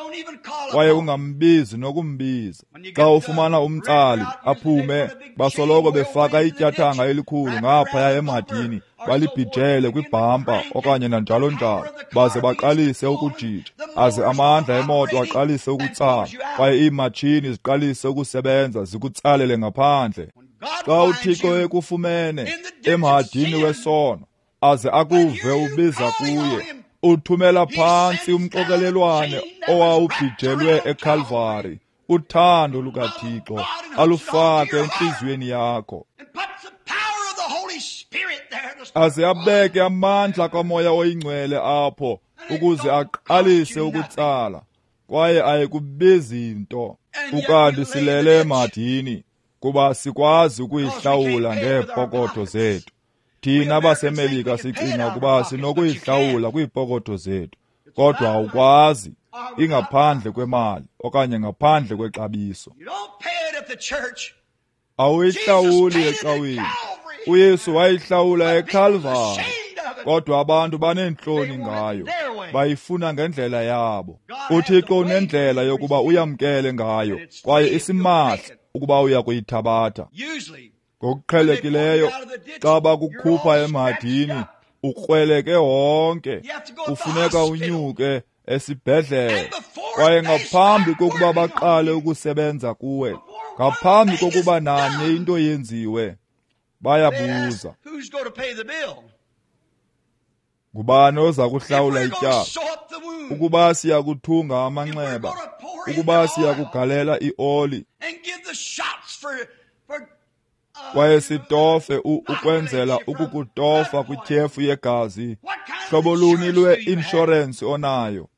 kwaye ungambizi nokumbiza. Xa ufumana umtsali aphume, basoloko befaka ityathanga elikhulu ngaphaya emhadini, balibhijele kwibhampa okanye nanjalo njalo, baze baqalise ukujija, aze amandla emoto aqalise ukutsala, kwaye iimatshini ziqalise ukusebenza zikutsalele ngaphandle. Xa uThixo ekufumene emhadini wesono, aze akuve ubiza kuye, uthumela phantsi umxokelelwane owawubhijelwe eKalvari, uthando lukaThixo alufake entliziyweni yakho, aze abeke amandla kaMoya oyiNgcwele apho ukuze aqalise ukutsala, kwaye ayikubizi nto. Ukanti silele emadini kuba sikwazi ukuyihlawula ngeepokotho zethu. Thina baseMelika sicinga ukuba sinokuyihlawula kwiipokotho zethu, kodwa awukwazi, ingaphandle kwemali okanye ngaphandle kwexabiso. Awuyihlawuli ecaweni. uYesu wayihlawula eKalvari, kodwa abantu baneentloni ngayo, bayifuna ngendlela yabo. uThixo unendlela yokuba uyamkele ngayo, kwaye isimahla ukuba uya kuyithabatha. Ngokuqhelekileyo, xa bakukhupha emhadini, ukrweleke wonke, kufuneka unyuke esibhedlele. Kwaye ngaphambi kokuba baqale ukusebenza kuwe, ngaphambi kokuba nanye into yenziwe, bayabuza, ngubani oza kuhlawula ityala? Ukuba siya kuthunga amanxeba, ukuba siya kugalela ioli, kwaye sitofe ukwenzela ukukutofa kwityhefu yegazi, hlobo luni lwe-inshorensi onayo?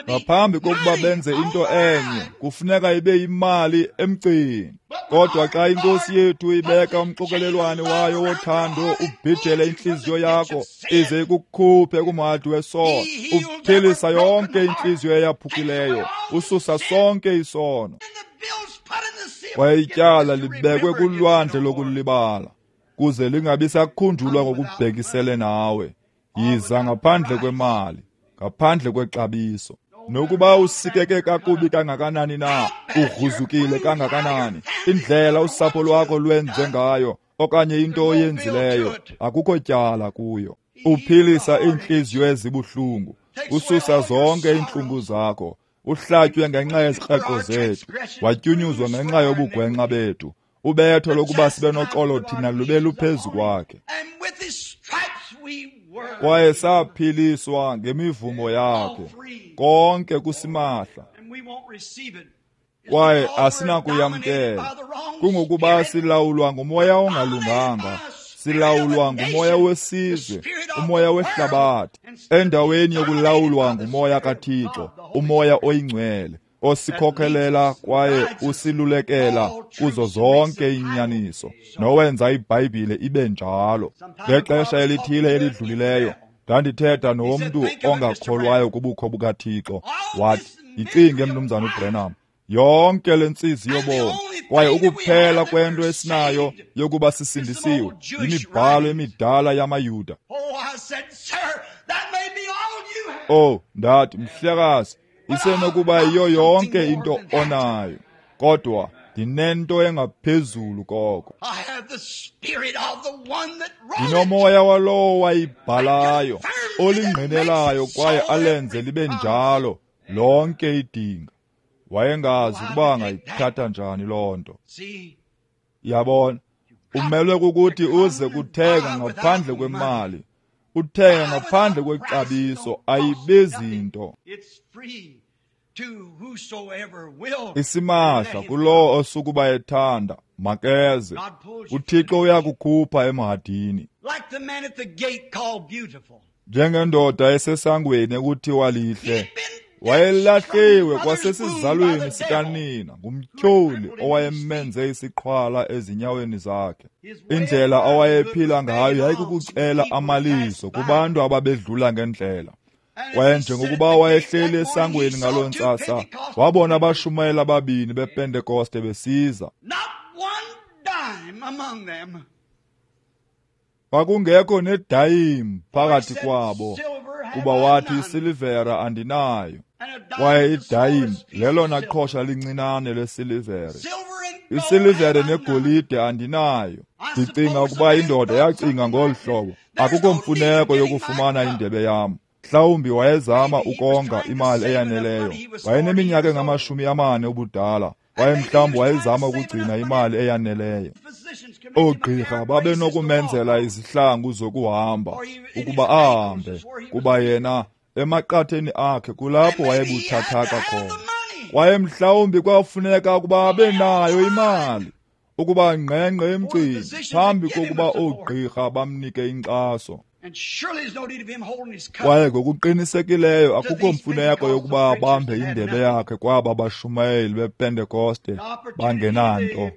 Ngaphambi kokuba benze into enye, kufuneka ibe yimali emgcini. Kodwa xa iNkosi yethu ibeka umxokelelwane wayo wothando ubhijele intliziyo yakho, ize ikukhuphe kumhadi wesono, uphilisa yonke intliziyo eyaphukileyo, ususa sonke isono. Kwaye ityala libekwe kulwandle lokulibala, kuze lingabi sakhunjulwa ngokubhekisele nawe. Yiza ngaphandle kwemali, ngaphandle kwexabiso. Nokuba usikeke kakubi kangakanani na, ugruzukile kangakanani, indlela usapho lwakho lwenze ngayo okanye into oyenzileyo, akukho tyala kuyo. Uphilisa iintliziyo ezibuhlungu, ususa zonke iintlungu zakho. Uhlatywe ngenxa yezikreqo zethu, watyunyuzwa ngenxa yobugwenxa bethu. Ubetho lokuba sibe noxolo thina lube luphezu kwakhe, kwaye saphiliswa ngemivumo yakhe. Konke kusimahla, kwaye asinakuyamkela. Kungokuba silawulwa ngumoya ongalunganga, silawulwa ngumoya wesizwe, umoya wehlabathi, endaweni yokulawulwa ngumoya kaThixo, umoya oyingcwele, osikhokhelela kwaye usilulekela kuzo zonke inyaniso, nowenza iBhayibhile ibe njalo. Ngexesha elithile elidlulileyo, ndandithetha nomntu ongakholwayo kubukho bukaThixo. Wathi, yicinge Mnumzana uBrenham, yonke le ntsizi yobomi, kwaye ukuphela kwento esinayo yokuba sisindisiwe yimibhalo emidala yamaYuda. Oh, ndathi, mhlekazi, isenokuba yiyo yonke into onayo, kodwa ndinento engaphezulu koko. Ndinomoya walowo wayibhalayo, olingqinelayo kwaye alenze libe njalo lonke idinga. Wayengazi ukuba angayithatha njani loo nto. Yabona, umelwe kukuthi uze kuthenga ngaphandle kwemali, uthenga ngaphandle kwexabiso, ayibizi nto. Isimahla kulowo osukuba ethanda, makeze. uThixo uyakukhupha emhadini. Njengendoda esesangweni ekuthiwa lihle, wayelahliwe kwasesizalweni sikanina ngumtyholi owayemenze isiqhwala ezinyaweni zakhe. Indlela awayephila ngayo yayikukucela amalizo kubantu ababedlula ngendlela. Kwaye njengokuba wayehleli esangweni ngaloo ntsasa, wabona abashumayeli ababini bePentekoste besiza. Kwakungekho nedayim phakathi kwabo, kuba wathi isilivera andinayo. Kwaye idayim lelona qhosha lincinane lesilivere. Isilivere negolide andinayo. Ndicinga ukuba indoda yacinga ngolu hlobo, akukho mfuneko yokufumana indebe yam. Mhlawumbi wayezama ukonga imali eyaneleyo. Wayeneminyaka engama-40 ubudala, kwaye mhlawumbi wayezama ukugcina imali eyaneleyo. Oogqirha babenokumenzela izihlangu zokuhamba ukuba ahambe, kuba yena emaqatheni akhe kulapho wayebuthathaka khona. Kwaye mhlawumbi kwafuneka ukuba abe nayo imali ukuba ngqengqe emgcini phambi kokuba oogqirha bamnike inkxaso. Kwaye ngokuqinisekileyo akukho mfuneko yokuba abambe indebe yakhe kwaba bashumayeli bePentekoste bangenanto.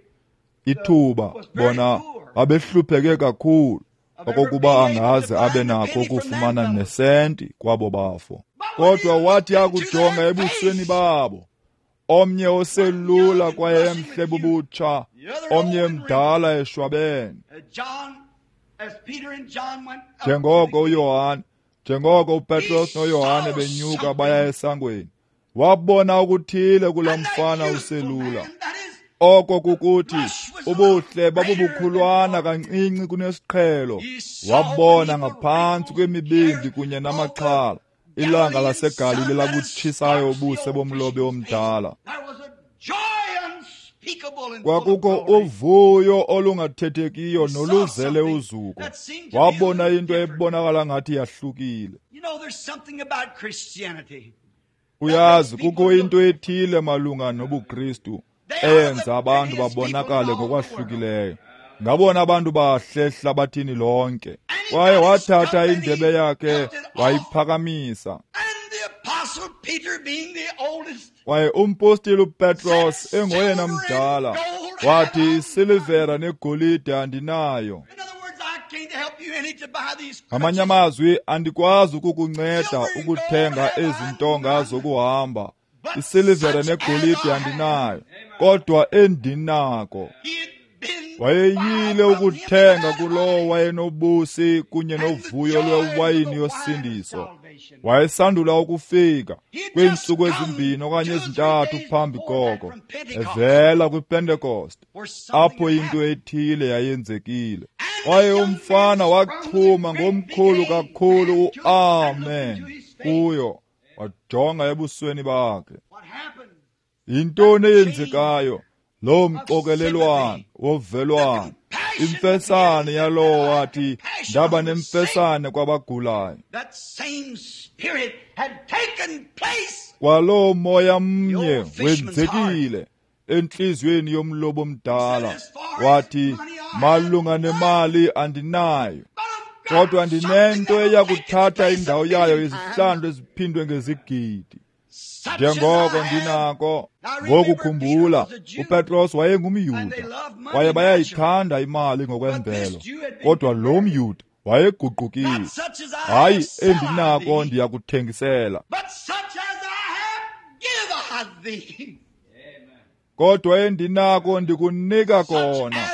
Ithuba bona babehlupheke kakhulu okokuba angaze abe nakho ukufumana nesenti kwabo bafo. Kodwa wathi akujonga ebusweni babo, omnye oselula kwaye emhle bubutsha, omnye mdala eshwabene. Njengoko uPetros noYohane benyuka baya esangweni, wabona okuthile kulaa mfana uselula. Oko kukuthi ubuhle babubukhulwana kancinci kunesiqhelo. Wabona ngaphantsi kwemibimbi kunye namaxhala, ilanga laseGalile labutshisayo ubuso bomlobi omdala. Kwakukho uvuyo olungathethekiyo noluzele uzuko. Wabona into ebonakala ngathi yahlukile. Uyazi, kukho into ethile malunga nobuKristu eyenza abantu babonakale ngokwahlukileyo. Ngabona abantu bahle ehlabathini lonke. Kwaye wathatha indebe yakhe wayiphakamisa. Kwaye umpostile uPetros engoyena mdala wathi, isilivera negolide andinayo. Ngamanye amazwi, andikwazi ukukunceda ukuthenga ezi ntonga zokuhamba. Isilivere negolide andinayo, kodwa endinako. Wayeyile ukuthenga kulowo wayenobusi kunye novuyo lwewayini yosindiso. Wayesandula ukufika kwiintsuku ezimbini okanye ezintathu phambi koko, evela kwiPentekoste, apho into ethile yayenzekile. Kwaye umfana wachuma ngomkhulu kakhulu u-amen kuyo, wajonga ebusweni bakhe. Yintoni eyenzekayo? Loo mxokelelwano wovelwano, imfesane yalowo wathi, ndaba nemfesane kwabagulayo. Kwaloo moya mnye wenzekile entliziyweni yomlobo omdala. Wathi, malunga nemali andinayo, kodwa ndinento eya kuthatha indawo yayo izihlandlo eziphindwe ngezigidi. Njengoko ndinako. Ngoku khumbula, uPetros wayengumYuda, kwaye bayayithanda imali ngokwemvelo, kodwa lo mYuda wayeguqukile. Hayi, endinako ndiyakuthengisela, kodwa endinako ndikunika kona.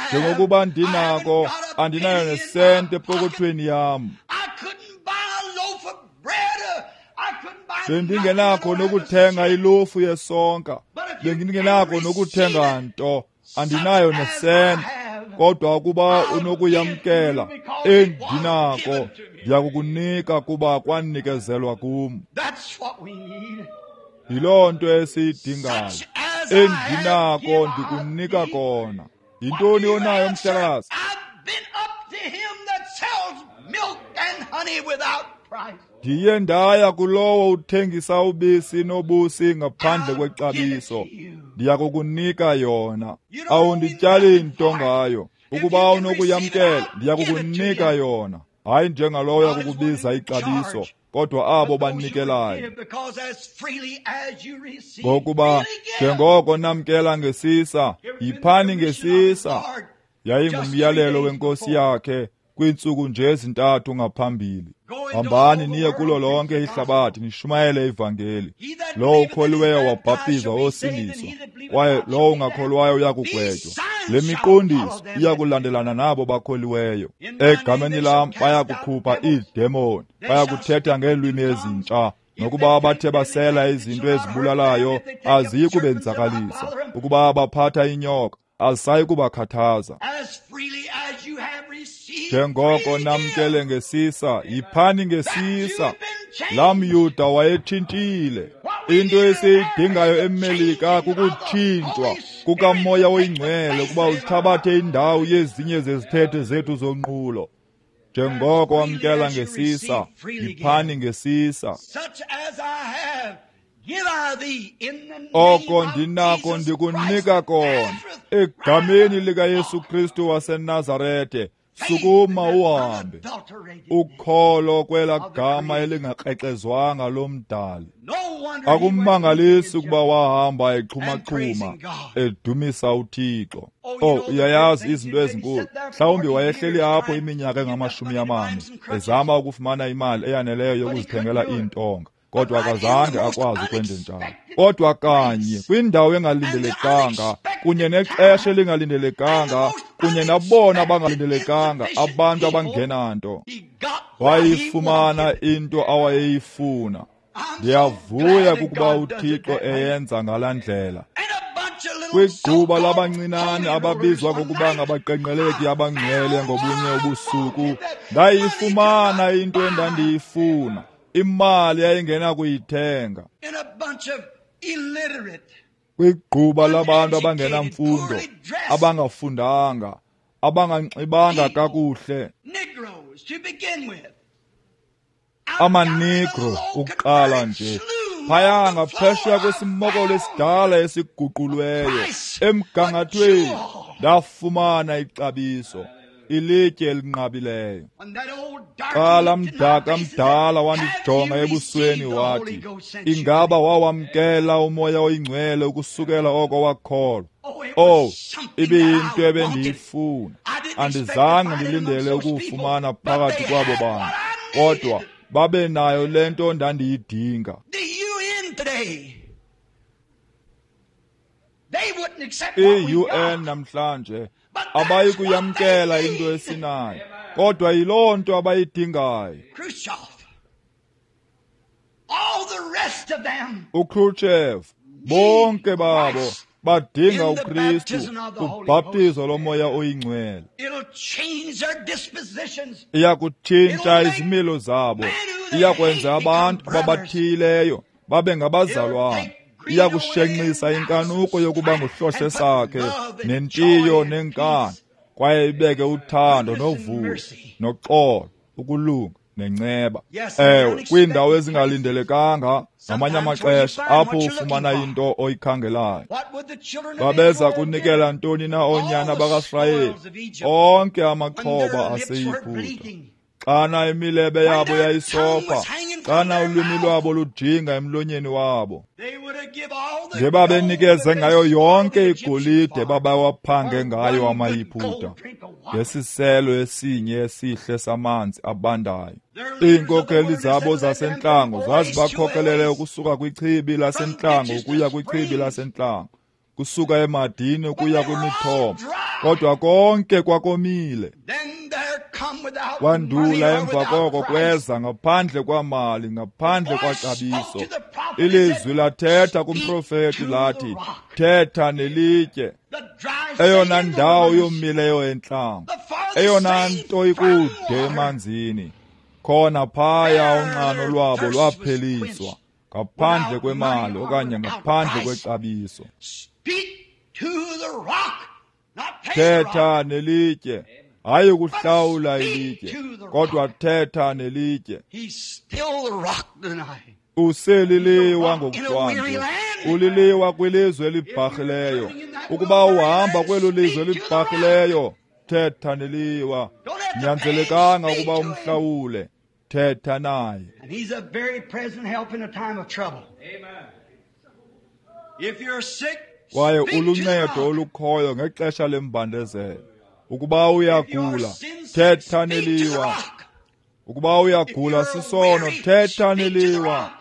Njengokuba ndinako, andinayo nesente epokothweni yam. Bendingenakho nokuthenga ilofu yesonka, bendingenakho nokuthenga nto, andinayo nesente. Kodwa ukuba unokuyamkela endinako, ndiyakukunika kuba kwanikezelwa kum. Yiloo nto esiyidingayo. Endinako ndikunika kona. Yintoni onayo, mhlekazi? Ndiye ndaya kulowo uthengisa ubisi nobusi ngaphandle kwexabiso. Ndiyakukunika yona. Awundityali nto ngayo. Ukuba unokuyamkela, ndiyakukunika yona. Hayi njengalowo yakukubiza ixabiso, kodwa abo banikelayo. Ngokuba njengoko namkela ngesisa, yiphani ngesisa. Yayingumyalelo wenkosi yakhe kwiintsuku nje ezintathu ngaphambili. Hambani niye kulo lonke ihlabathi nishumayele ivangeli. Lowo ukholiweyo wabhaptizwa wosindiswa, kwaye lowo ungakholwayo uyakugwetywa. Le miqondiso iya kulandelana nabo bakholiweyo. Egameni lam baya kukhupha iidemoni, baya kuthetha ngeelwimi ezintsha. Nokuba bathe basela izinto ezibulalayo, aziyi kubenzakalisa. Ukuba baphatha inyoka, azisayi kubakhathaza. Njengoko namkele ngesisa, yiphani ngesisa. Laa mYuda wayetshintshile. Into esiyidingayo eMelika kukutshintshwa kukaMoya oyiNgcwele ukuba uthabathe indawo yezinye zezithethe zethu zonqulo. Njengoko wamkela ngesisa, yiphani ngesisa. Oko ndinako ndikunika kona, egameni likaYesu Kristu waseNazarete, sukuma uhambe. Ukholo kwela gama elingakrexezwanga lomdali. Akumangalisi ukuba wahamba exhuma-xhuma edumisa uThixo. Oh, uyayazi izinto ezinkulu. Mhlawumbi wayehleli apho iminyaka engama-40 ezama ukufumana imali eyaneleyo yokuzithengela iintonga, kodwa akazange akwazi ukwenza njalo. Kodwa kanye kwindawo engalindelekanga, kunye nexesha elingalindelekanga, kunye nabona abangalindelekanga, abantu abangenanto, wayifumana into awayeyifuna. Ndiyavuya kukuba uThixo eyenza ngalaa ndlela. Kwigquba labancinane ababizwa ngokuba ngabaqenqeleki abangcwele ngobunye ubusuku, ndayifumana into endandiyifuna. Imali yayingenakuyithenga. Kwigquba labantu abangenamfundo, abangafundanga, abanganxibanga kakuhle, amaNegro ukuqala nje, phaya ngaphesheya kwesimokolo esidala esiguqulweyo emgangathweni, ndafumana ixabiso, ilitye elinqabileyo. Xa laa mdaka mdala wandijonga ebusweni wathi, ingaba wawamkela uMoya oyiNgcwele ukusukela oko wakholwa? Oh, ibiyinto ebendiyifuna. Andizange ndilindele ukuwufumana phakathi kwabo bantu, kodwa babe nayo le nto ndandiyidinga. I-UN namhlanje abayi kuyamkela into esinayo, kodwa yiloo nto abayidingayo. uKhrushchev, bonke babo badinga uKristu kubhaptizo loMoya oyiNgcwele. Iya kutshintsha izimilo zabo, iya kwenza abantu ababathiyileyo babe ngabazalwana. Iya kushenxisa inkanuko yokuba nguhlohle sakhe nentiyo nenkani, kwaye ibeke uthando novuyo noxolo, ukulunga nenceba. Ewe, kwiindawo ezingalindelekanga ngamanye amaxesha apho ufumana into oyikhangelayo. Babeza kunikela ntoni na oonyana bakaSirayeli onke amaxhoba aseYiputa? Xana imilebe yabo yayisopha, xana ulwimi lwabo lujinga emlonyeni wabo, ngebabenikeze ngayo yonke igolide babawaphange ngayo amaYiputa ngesiselo esinye esihle samanzi abandayo. Iinkokheli zabo zasentlango zazibakhokelele ukusuka kwichibi lasentlango ukuya kwichibi lasentlango, kusuka emadini ukuya kwimithombo, kodwa konke kwakomile. Kwandula emva koko kweza ngaphandle kwamali, ngaphandle kwaxabiso. Ilizwi lathetha kumprofeti lathi, thetha nelitye. Eyona ndawo yomileyo entlango, eyona nto ikude emanzini, khona phaya unxano lwabo lwapheliswa, ngaphandle kwemali okanye ngaphandle kwexabiso. Thetha nelitye, hayi ukuhlawula ilitye, kodwa thetha nelitye. Useliliwa ngokuhlwanje, uliliwa kwilizwe elibharhileyo. Ukuba uhamba kwelo lizwe elibharhileyo, thetha neliwa. Nyanzelekanga ukuba umhlawule, thetha naye. Kwaye uluncedo olukhoyo ngexesha lembandezelo. Ukuba uyagula, thetha neliwa. Ukuba uyagula sisono, thetha neliwa.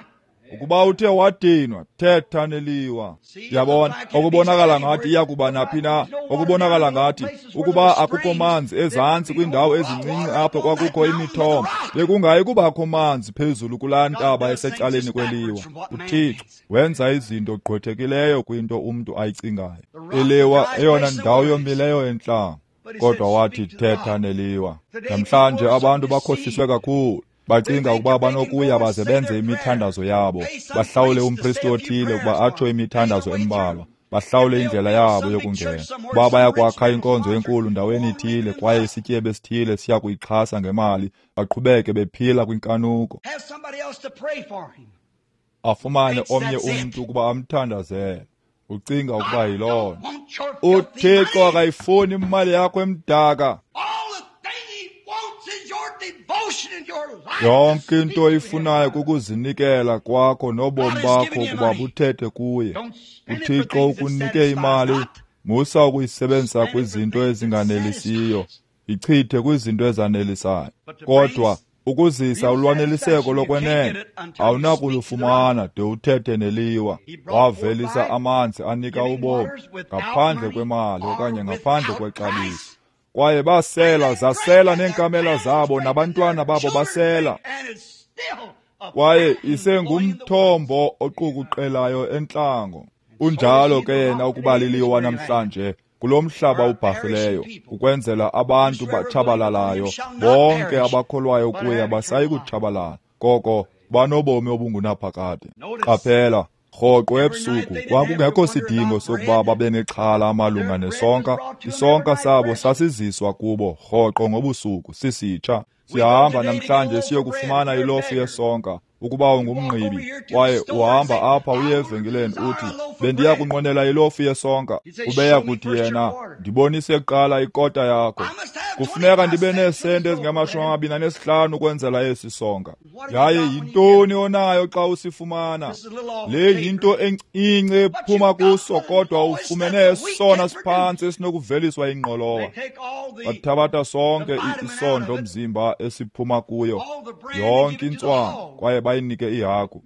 Ukuba uthe wadinwa, thetha neliwa. Yabona, okubonakala ngathi iya kuba naphi na, okubonakala ngathi ukuba akukho manzi ezantsi kwiindawo ezincinci apho kwakukho imithombo, bekungayi kubakho manzi phezulu kulaa ntaba esecaleni kweliwa. UThixo wenza izinto gqwethekileyo kwinto umntu ayicingayo. Iliwa eyona ndawo yomileyo entlango, kodwa wathi thetha neliwa. Namhlanje abantu bakhohliswe kakhulu. Bacinga ukuba banokuya baze benze imithandazo yabo, bahlawule umpristi othile ukuba atsho imithandazo embalwa, bahlawule indlela yabo yokungena. Ukuba bayakwakha inkonzo enkulu ndaweni ithile kwaye isityebi esithile siya kuyixhasa ngemali, baqhubeke bephila kwinkanuko. Afumane omnye umntu ukuba amthandazele. Ucinga ukuba yiloo nto. UThixo akayifuni imali yakho emdaka. Yonke into oyifunayo kukuzinikela kwakho nobomi bakho ukuba buthethe kuye. UThixo ukunike imali, musa ukuyisebenzisa kwizinto ezinganelisiyo, ichithe kwizinto ezanelisayo. Kodwa ukuzisa ulwaneliseko lokwenene awunakulufumana de uthethe neliwa. Wavelisa amanzi anika ubomi ngaphandle kwemali okanye ngaphandle kwexabiso. Kwaye basela, zasela neenkamela zabo nabantwana babo basela. Kwaye isengumthombo oqukuqelayo entlango. Unjalo ke yena ukuba liliwa namhlanje kulo mhlaba ubharhileyo, ukwenzela abantu batshabalalayo. Bonke abakholwayo kuye abasayi kutshabalala, koko banobomi obungunaphakade. Qaphela, rhoqo ebusuku kwakungekho sidingo sokuba babe nexhala malunga nesonka. Isonka sabo sasiziswa kubo rhoqo ngobusuku sisitsha. Siyahamba namhlanje siyokufumana ilofu yesonka. Ukuba ungumngqibi kwaye uhamba apha uye evenkileni uthi, bendiya kunqwenela ilofu yesonka, ubeya kuthi yena, ndibonise kuqala ikota yakho. Kufuneka ndibe neesenti ezingama-25 ukwenzela esi sonka. Yaye yintoni onayo xa usifumana? Le yinto encinci ephuma kuso, kodwa ufumene esona siphantsi esinokuveliswa ingqolowa. Bathabatha sonke isondlo mzimba esiphuma kuyo, yonke intswana, kwaye bayinike ihagu.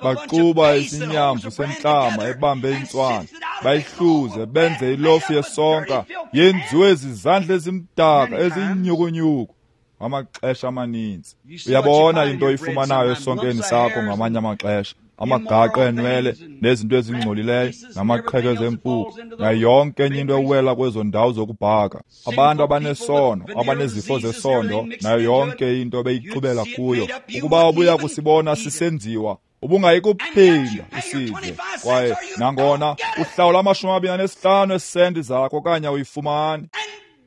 Baxuba isinyamvu sentlama ebambe intswana, bayihluze benze ilofu yesonka yenziwe zizandla ezimdaka ezinyukunyuku. Amaxesha amaninzi uyabona into oyifumanayo esonkeni sakho ngamanye amaxesha, amagaqa enwele nezinto ezingcolileyo namaqhekeza empuku nayo yonke enye into ewela kwezo ndawo zokubhaka. Abantu abanesono, abanezifo zesondo, nayo yonke into beyixubela kuyo. Ukuba ubuya kusibona sisenziwa, ubungayi kuphinda usidle. Kwaye nangona uhlawula 25 esenti zakho okanye uyifumani.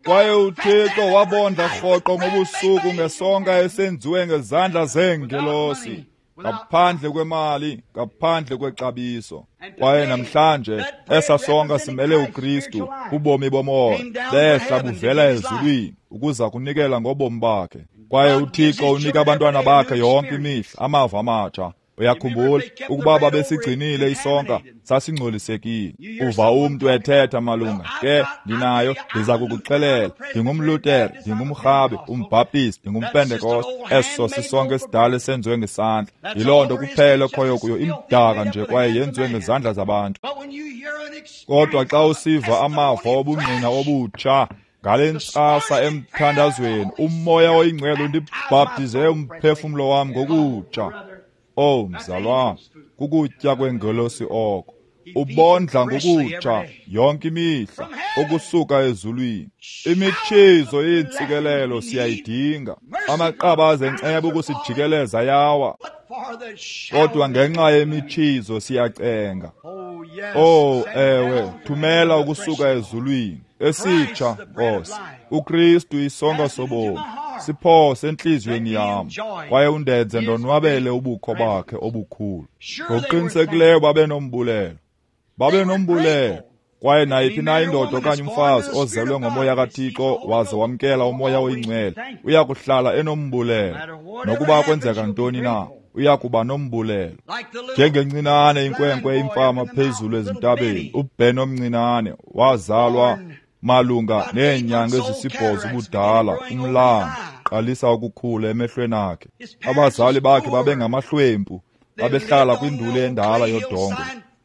Kwaye uThixo wabondla rhoqo ngobusuku ngesonka esenziwe ngezandla zeengelosi, ngaphandle kwemali, ngaphandle kwexabiso. Kwaye namhlanje esa sonka simele uKristu, ubomi bomoya, behla buvela ezulwini ukuza kunikela ngobomi bakhe. Kwaye uThixo unika abantwana bakhe yonke imihla amava amatsha. Uyakhumbula ukuba babesigcinile isonka sasingcolisekile. Uva umntu ethetha malunga ke, ndinayo, ndiza kukuxelela, ndingumLuthere, ndingumRhabe, umBhaptist, ndingumPentekoste. Eso sisonka esidala esenziwe ngesandla. Yiloo nto kuphela ekhoyo kuyo, imdaka nje kwaye yenziwe ngezandla zabantu. Kodwa xa usiva amava obungqina obutsha ngale ntsasa emthandazweni, uMoya oyiNgcwele undibhaptize umphefumlo wam ngokutsha. Oh mzalwana, kukutya kwengelosi oko. Ubondla ngokutsha yonke imihla ukusuka ezulwini. Imitshizo yeentsikelelo siyayidinga. Amaqabaza enceba ukusijikeleza yawa, kodwa ngenxa yemitshizo siyacenga. Oh ewe, thumela ukusuka ezulwini esitsha, Nkosi. uKristu isonka sobomi, siphose entliziyweni yam, kwaye undenze ndonwabele ubukho bakhe obukhulu. Ngokuqinisekileyo babe nombulelo, babe nombulelo. Kwaye nayiphi na indoda okanye umfazi ozelwe ngomoya kaThixo waze wamkela uMoya oyiNgcwele uya kuhlala enombulelo. Nokuba kwenzeka ntoni na, uya kuba nombulelo. Njengencinane inkwenkwe imfama phezulu ezintabeni, uBen omncinane wazalwa malunga neenyanga ezisibhozo ubudala, umlambo qalisa ukukhula emehlweni akhe. Abazali bakhe babengamahlwempu. Babehlala kwinduli endala yodongwe,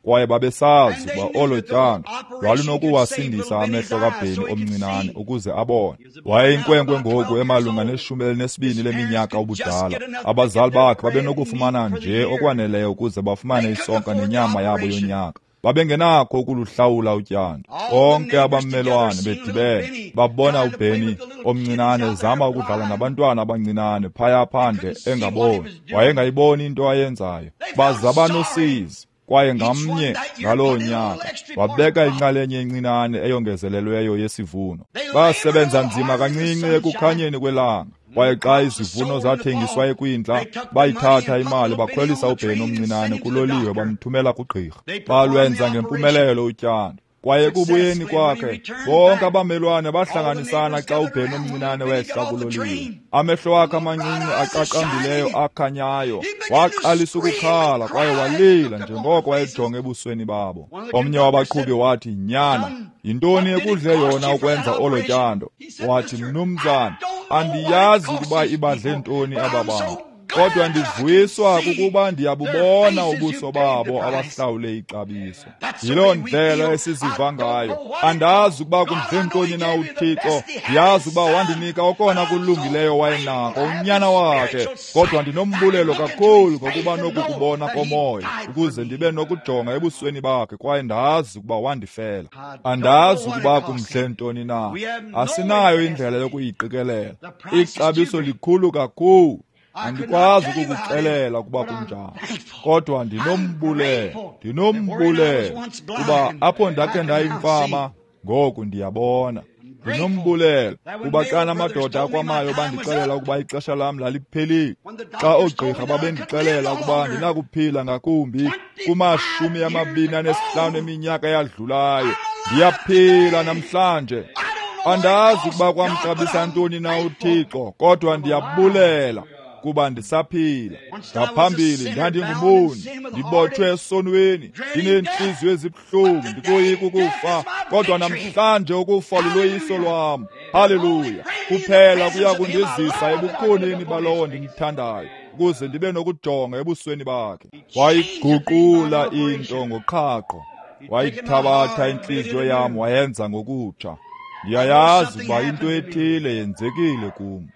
kwaye babesazi ukuba olo tyando lwalunokuwasindisa amehlo kaBenny omncinane ukuze abone. Wayeyinkwenkwe ngoku emalunga ne-12 leminyaka ubudala. Abazali bakhe babenokufumana nje okwaneleyo ukuze bafumane isonka nenyama yabo yonyaka. Babengenakho ukuluhlawula utyando. Bonke abamelwane bedibene babona uBenny omncinane ezama ukudlala nabantwana abancinane phaya phandle engaboni. Wayengayiboni into ayenzayo. Baza banosizi. Kwaye ngamnye ngaloo nyaka wabeka inxalenye encinane eyongezelelweyo yesivuno. Basebenza nzima kancinci ekukhanyeni kwelanga. Kwaye xa izivuno zathengiswa ekwindla, bayithatha imali bakhwelisa uBenny omncinane kuloliwe bamthumela kugqirha. Balwenza ngempumelelo utyando. Kwaye ekubuyeni kwakhe, bonke abamelwane bahlanganisana xa uBenny omncinane wehla kuloliwe. Amehlo akhe amancinci aqaqambileyo akhanyayo waqalisa ukukhala kwaye walila njengoko wayejonge ebusweni babo. Omnye wabaqhubi wathi, "Nyana, yintoni ekudle yona ukwenza olo tyando?" Wathi, "Mnumzana, andiyazi ukuba ibadle ntoni aba bantu, kodwa ndivuyiswa kukuba ndiyabubona ubuso babo abahlawule ixabiso." Yiloo ndlela esiziva ngayo. Andazi ukuba kumdle ntoni na uThixo. Ndiyazi ukuba wandinika okona kulungileyo wayenako, unyana wakhe, kodwa ndinombulelo kakhulu ngokuba nokukubona komoya ukuze ndibe nokujonga ebusweni bakhe kwaye ndazi ukuba wandifela. Andazi ukuba kumdle ntoni na. Asinayo indlela yokuyiqikelela. Ixabiso likhulu kakhulu. Andikwazi ukukuxelela ukuba kunjani, kodwa ndinombulelo, kuba apho ndakhe ndayimfama, ngoku ndiyabona. Ndinombulelo kuba xana amadoda akwamayo bandixelela ukuba ixesha lam laliphelile, xa oogqirha babendixelela ukuba ndinakuphila ngakumbi kuma-25 eminyaka eyadlulayo, ndiyaphila namhlanje. Andazi ukuba kwamxabisa ntoni na uThixo, kodwa ndiyabulela kuba ndisaphila. Ngaphambili ndandingumoni, ndibotshwe esonweni, ndineenhliziyo ezibuhlungu, ndikoyika ukufa, kodwa namhlanje ukufa luloyiso lwam. Haleluya! Kuphela kuya kundizisa ebukhoneni balowo ndimthandayo, ukuze ndibe nokujonga ebusweni bakhe. Wayiguqula into ngoqhaqho, wayithabatha intliziyo yam wayenza ngokutsha. Ndiyayazi ukuba into ethile yenzekile kum.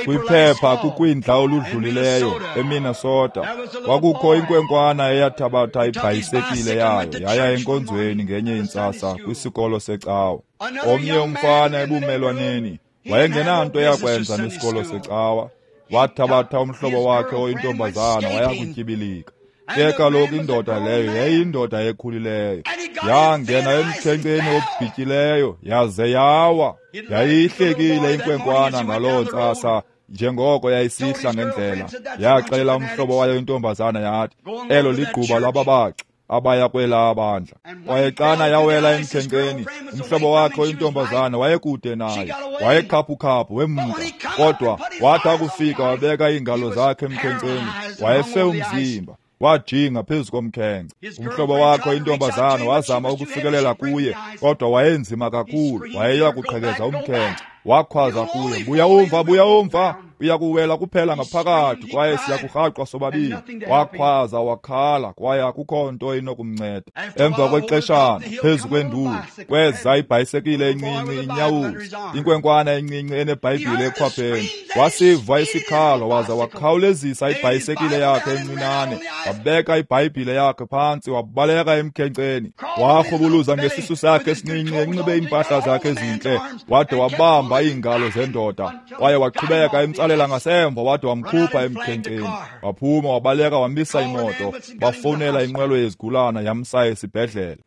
Kwiphepha kukwindla oludlulileyo eMinnesota, kwakukho inkwenkwana eyathabatha ibhayisekile yayo yaya enkonzweni ngenye intsasa kwisikolo secawa. Omnye umfana ebumelwaneni wayengenanto yakwenza nesikolo secawa. Wathabatha umhlobo wakhe oyintombazana waya kutyibilika. Ke kaloku indoda leyo yayiyindoda ekhulileyo. Yangena emkhenkceni obhityileyo yaze yawa. Yayihlekile inkwenkwana ngaloo ntsasa njengoko yayisihla ngendlela. Yaxelela umhlobo wayo intombazana yathi, "Elo ligquba lwababaxi abaya kwelaa bandla." Kwaye xana yawela emkhenkceni, umhlobo wakhe oyintombazana wayekude naye, wayekhaphukhaphu wemka. Kodwa wathi akufika wabeka iingalo zakhe emkhenkceni, wayefe umzimba. Wajinga phezu komkhenkce. Umhlobo wakhe oyintombazana wazama ukufikelela kuye, kodwa wayenzima kakhulu, wayeya kuqhekeza umkhenkce. Wakhwaza kuye, "Buya umva, buya umva, uya kuwela kuphela ngaphakathi kwaye siyakurhaqwa sobabili." Wakhwaza wakhala kwaye akukho nto inokumnceda. Emva kwexeshana, phezu kwenduli kweza ibhayisekile encinci inyawuza, inkwenkwana encinci enebhayibhile ekhwapheni. Wasiva isikhalo waza wakhawulezisa ibhayisekile yakhe encinane, wabeka ibhayibhile yakhe phantsi, wabaleka emkhenkceni. Warhubuluza ngesisu sakhe esincinci enxibe iimpahla zakhe ezintle, wade wabamba iingalo zendoda kwaye waqhubeka emtsalela ngasemva wade wamkhupha emkhenkceni. Waphuma wabaleka wamisa imoto, bafowunela inqwelo yezigulana yamsa esibhedlele.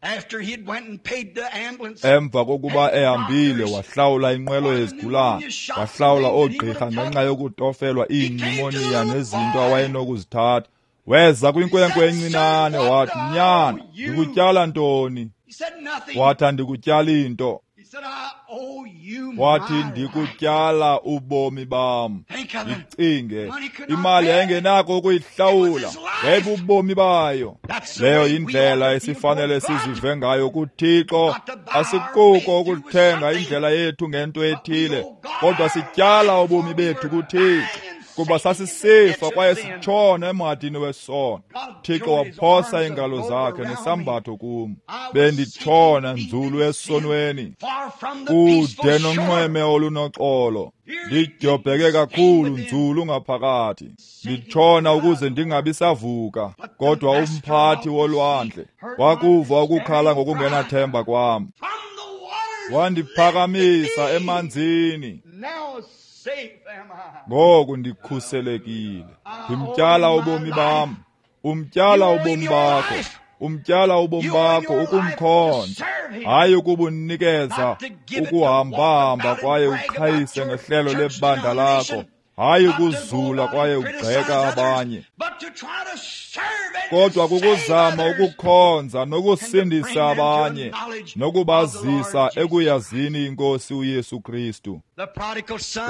Emva kokuba ehambile wahlawula inqwelo yezigulana, wahlawula oogqirha ngenxa yokutofelwa iinyumoniya nezinto awayenokuzithatha. Weza kwinkwenkwe encinane wathi, "Nyana, ndikutyala ntoni?" Wathi, "Andikutyali into." Wathi, "Ndikutyala ubomi bam." Ndicinge, imali yayingenako ukuyihlawula, yayibubomi bayo. Leyo yindlela esifanele sizive ngayo kuThixo. Asikuko ukuthenga indlela yethu ngento ethile, kodwa sityala ubomi bethu kuThixo. Kuba sasisifa kwaye sitshona emhadini wesono. Thixo waphosa iingalo zakhe nesambatho kum. Benditshona nzulu esonweni, kude nonxweme olunoxolo. Ndidyobheke kakhulu nzulu ngaphakathi, nditshona ukuze ndingabi savuka. Kodwa umphathi wolwandle wakuva ukukhala ngokungenathemba kwam, wandiphakamisa emanzini. Ngoku ndikhuselekile. Ndimtyala ubomi bam, umtyala ubomi bakho, umtyala ubomi bakho ukumkhonza, hayi ukubunikeza ukuhambahamba kwaye uqhayise ngehlelo lebandla lakho, hayi ukuzula kwaye ugxeka abanye, kodwa kukuzama ukukhonza nokusindisa abanye nokubazisa ekuyazini iNkosi uYesu Kristu.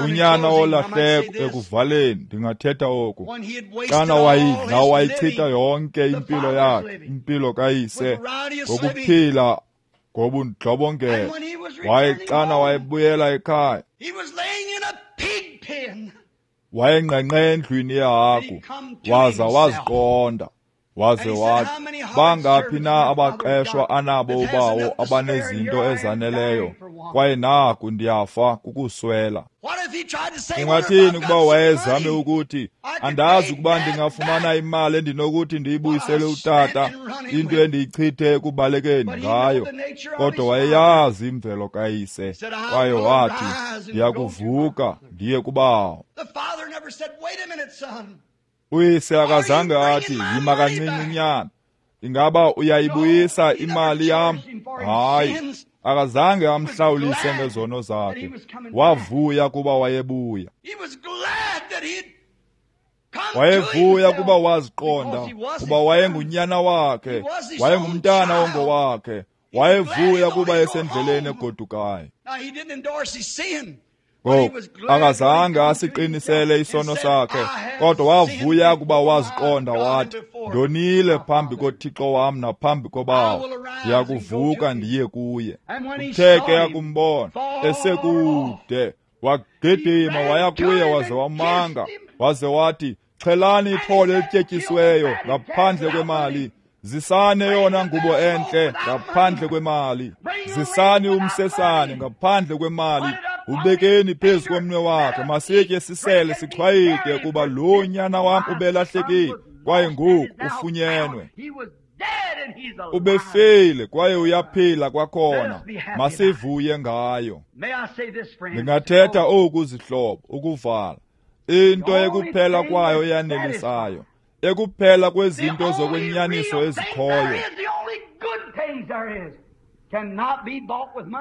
Unyana wolahleko, ekuvaleni ndingathetha oku, xana wayidla wayichitha yonke impilo yakhe, impilo kayise, ngokuphila ngobundlobongela, waye xana wayebuyela ekhaya, wayengqengqe endlwini yehagu, waza waziqonda, waze wathi, bangaphi na abaqeshwa anabo ubawo abanezinto ezaneleyo, kwaye naku ndiyafa kukuswela. Ungathini ukuba wayezame ukuthi, andazi ukuba ndingafumana imali endinokuthi ndiyibuyisele utata, into endiyichithe ekubalekeni ngayo. Kodwa wayeyazi imvelo kayise, kwaye wathi, ndiyakuvuka ndiye kubawo. Uyise akazange athi, yima kancinci nyana, ingaba uyayibuyisa imali yam? Hayi, akazange amhlawulise ngezono zakhe. Wavuya kuba wayebuya. Wayevuya kuba waziqonda kuba wayengunyana wakhe, wayengumntana ongowakhe. Wayevuya kuba esendleleni egodukayo. Ngoku akazange asiqinisele isono sakhe, kodwa wavuya kuba waziqonda, wathi, ndonile phambi koThixo wam naphambi kobawo, ndiyakuvuka ndiye kuye. Uthe ke akumbona esekude, wagidima waya kuye waze wamanga, waze wathi, xhelani ithole elityetyisiweyo ngaphandle kwemali, zisani eyona ngubo entle ngaphandle kwemali, zisani umsesane ngaphandle kwemali, ubekeni phezu komnwe wakhe, masitye sisele sichwayite, kuba lo nyana wam ubelahlekile kwaye ngoku ufunyenwe. Ubefile kwaye uyaphila kwakhona, masivuye ngayo. Ndingathetha oku zihlobo, ukuvala, into ekuphela kwayo eyanelisayo, ekuphela kwezinto zokwenyaniso ezikhoyo,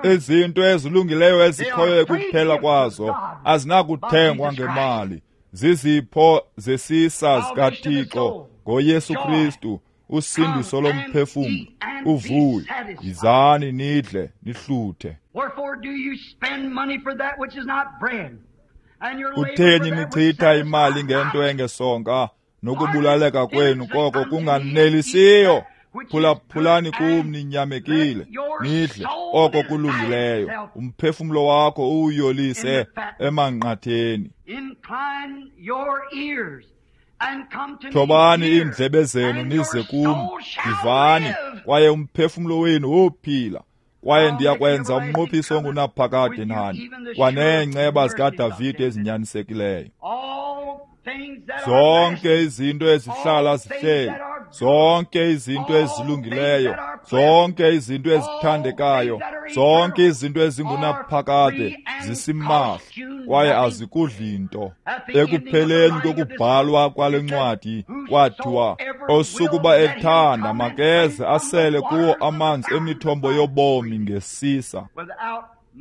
izinto ezilungileyo ezikhoyo ekuphela kwazo azinakuthengwa ngemali, zizipho zesisa zikaThixo ngoYesu Kristu, usindiso lomphefumlo, uvuyo. Yizani nidle nihluthe. Kutheni nichitha imali ngento engesonka, nokubulaleka kwenu koko kunganelisiyo? Phulaphulani kum ninyamekile, nidle oko kulungileyo, umphefumlo wakho uwuyolise emanqatheni. Thobani iindlebe zenu nize kum, ndivani, kwaye umphefumlo wenu wophila, kwaye ndiyakwenza umnqophiso ongunaphakade nani, kwaneenceba zikaDavide ezinyanisekileyo. Zonke izinto ezihlala zihleli, zonke izinto ezilungileyo, zonke izinto ezithandekayo, zonke izinto ezingunaphakade zisimahla, kwaye azikudli nto. Ekupheleni kokubhalwa kwale ncwadi kwathiwa, osukuba ethanda makeze asele kuwo amanzi emithombo yobomi ngesisa,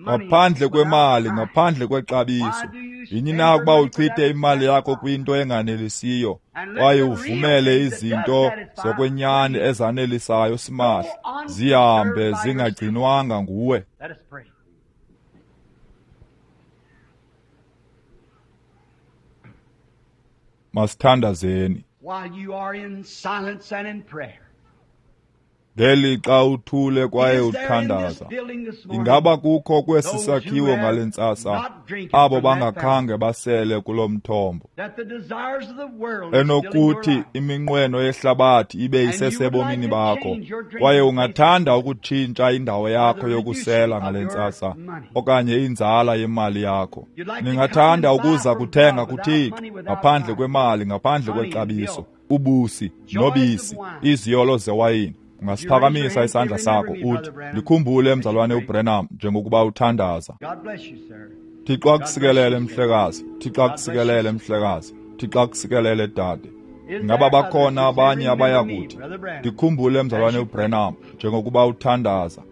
ngaphandle kwemali, ngaphandle kwexabiso. Yini na ukuba uchithe imali yakho kwinto enganelisiyo, kwaye uvumele izinto zokwenyani ezanelisayo simahla zihambe zingagcinwanga nguwe? Masithandazeni. Ngelixa uthule kwaye uthandaza, ingaba kukho kwesi sakhiwo ngale ntsasa abo bangakhange basele kulo mthombo, enokuthi iminqweno yehlabathi ibe isesebomini bakho, kwaye ungathanda ukutshintsha indawo yakho yokusela ngale ntsasa okanye inzala yemali yakho? Ningathanda ukuza kuthenga kuThixo ngaphandle kwemali, ngaphandle kwexabiso, ubusi nobisi, iziyolo zewayini? Ungasiphakamisa isandla sakho uthi, ndikhumbule mzalwane uBrenham njengokuba uthandaza. Thixo akusikelele mhlekazi, Thixo akusikelele mhlekazi, Thixo akusikelele dade. Ingaba bakhona abanye abaya kuthi, ndikhumbule mzalwane uBrenham njengokuba uthandaza?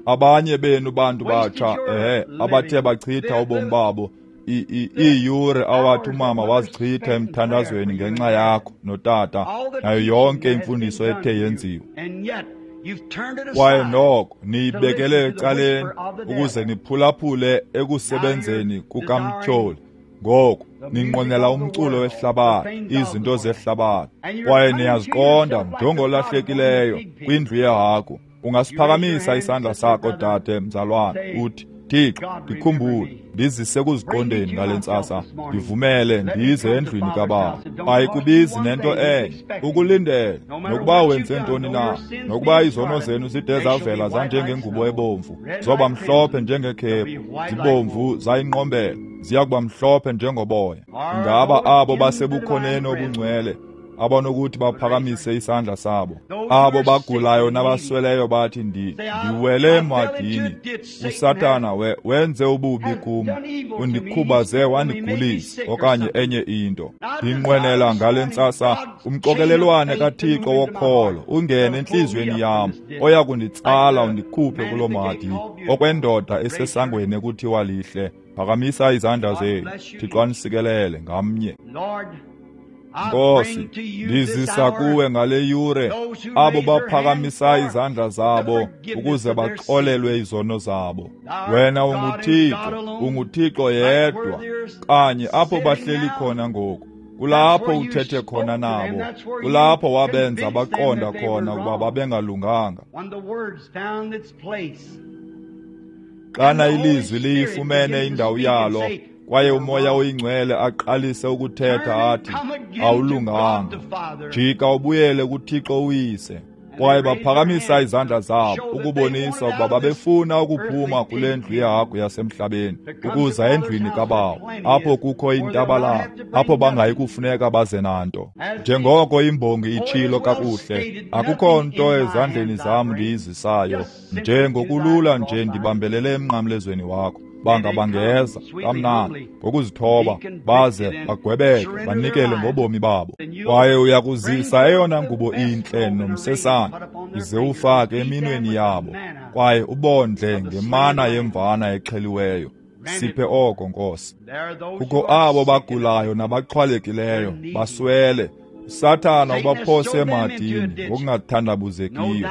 Abanye benu bantu batsha, abathe bachitha ubomi babo, iiyure awathi umama wazichitha emthandazweni ngenxa yakho notata, nayo yonke imfundiso ethe yenziwa, kwaye noko niyibekele ecaleni ukuze niphulaphule ekusebenzeni kukamtyholi. Ngoku ninqwenela umculo wehlabathi, izinto zehlabathi, kwaye niyaziqonda njengolahlekileyo kwindlu yehagu. Ungasiphakamisa isandla sakho dade, mzalwane, uthi, Thixo, ndikhumbule, ndizise kuziqondeni ngale ntsasa, ndivumele ndize endlwini kaBaba. Ayikubizi nento enye, ukulindele, nokuba wenze ntoni na, nokuba izono zenu zide zavela zanjengengubo ebomvu, zoba mhlophe njengekhephu, zibomvu zayinqombela, ziya kuba mhlophe njengoboya. Ingaba abo basebukhoneni obungcwele abanokuthi baphakamise isandla sabo, abo bagulayo nabasweleyo bathi, ndiwele emadini, uSathana wenze ububi kum, undikhubaze wandigulisa, okanye enye into. Ndinqwenela ngale ntsasa umxokelelwane kaThixo wokholo ungene entliziyweni yam, oya kunditsala undikhuphe kulo madi, okwendoda esesangweni ekuthiwa lihle. Phakamisa izandla zenu. Thixo anisikelele ngamnye. Nkosi, ndizisa kuwe ngale yure abo baphakamisa izandla zabo ukuze baxolelwe izono zabo. Wena unguThixo, unguThixo yedwa, kanye apho bahleli khona ngoku. Kulapho uthethe khona nabo, kulapho wabenza baqonda khona ukuba babengalunganga. Xana ilizwi liyifumene indawo yalo, kwaye uMoya oyiNgcwele aqalise ukuthetha athi, awulunganga, jika ubuyele kuThixo uyise. Kwaye baphakamisa izandla zabo ukubonisa ukuba babefuna ukuphuma kule ndlu yehagu yasemhlabeni ukuza endlwini kaBawo, apho kukho intabalala, apho bangayi kufuneka baze nanto. Njengoko imbongi itshilo kakuhle, akukho nto ezandleni zam ndiyizisayo, njengokulula nje ndibambelele emnqamlezweni wakho. Banga bangeza kamnandi ngokuzithoba, baze bagwebeke, banikele ngobomi babo. Kwaye uyakuzisa eyona ngubo intle nomsesane, ize ufake eminweni yabo, kwaye ubondle ngemana yemvana exheliweyo. Siphe oko, Nkosi. Kukho abo bagulayo nabaxhwalekileyo, baswele. uSathana ubaphose emadini ngokungathandabuzekiyo,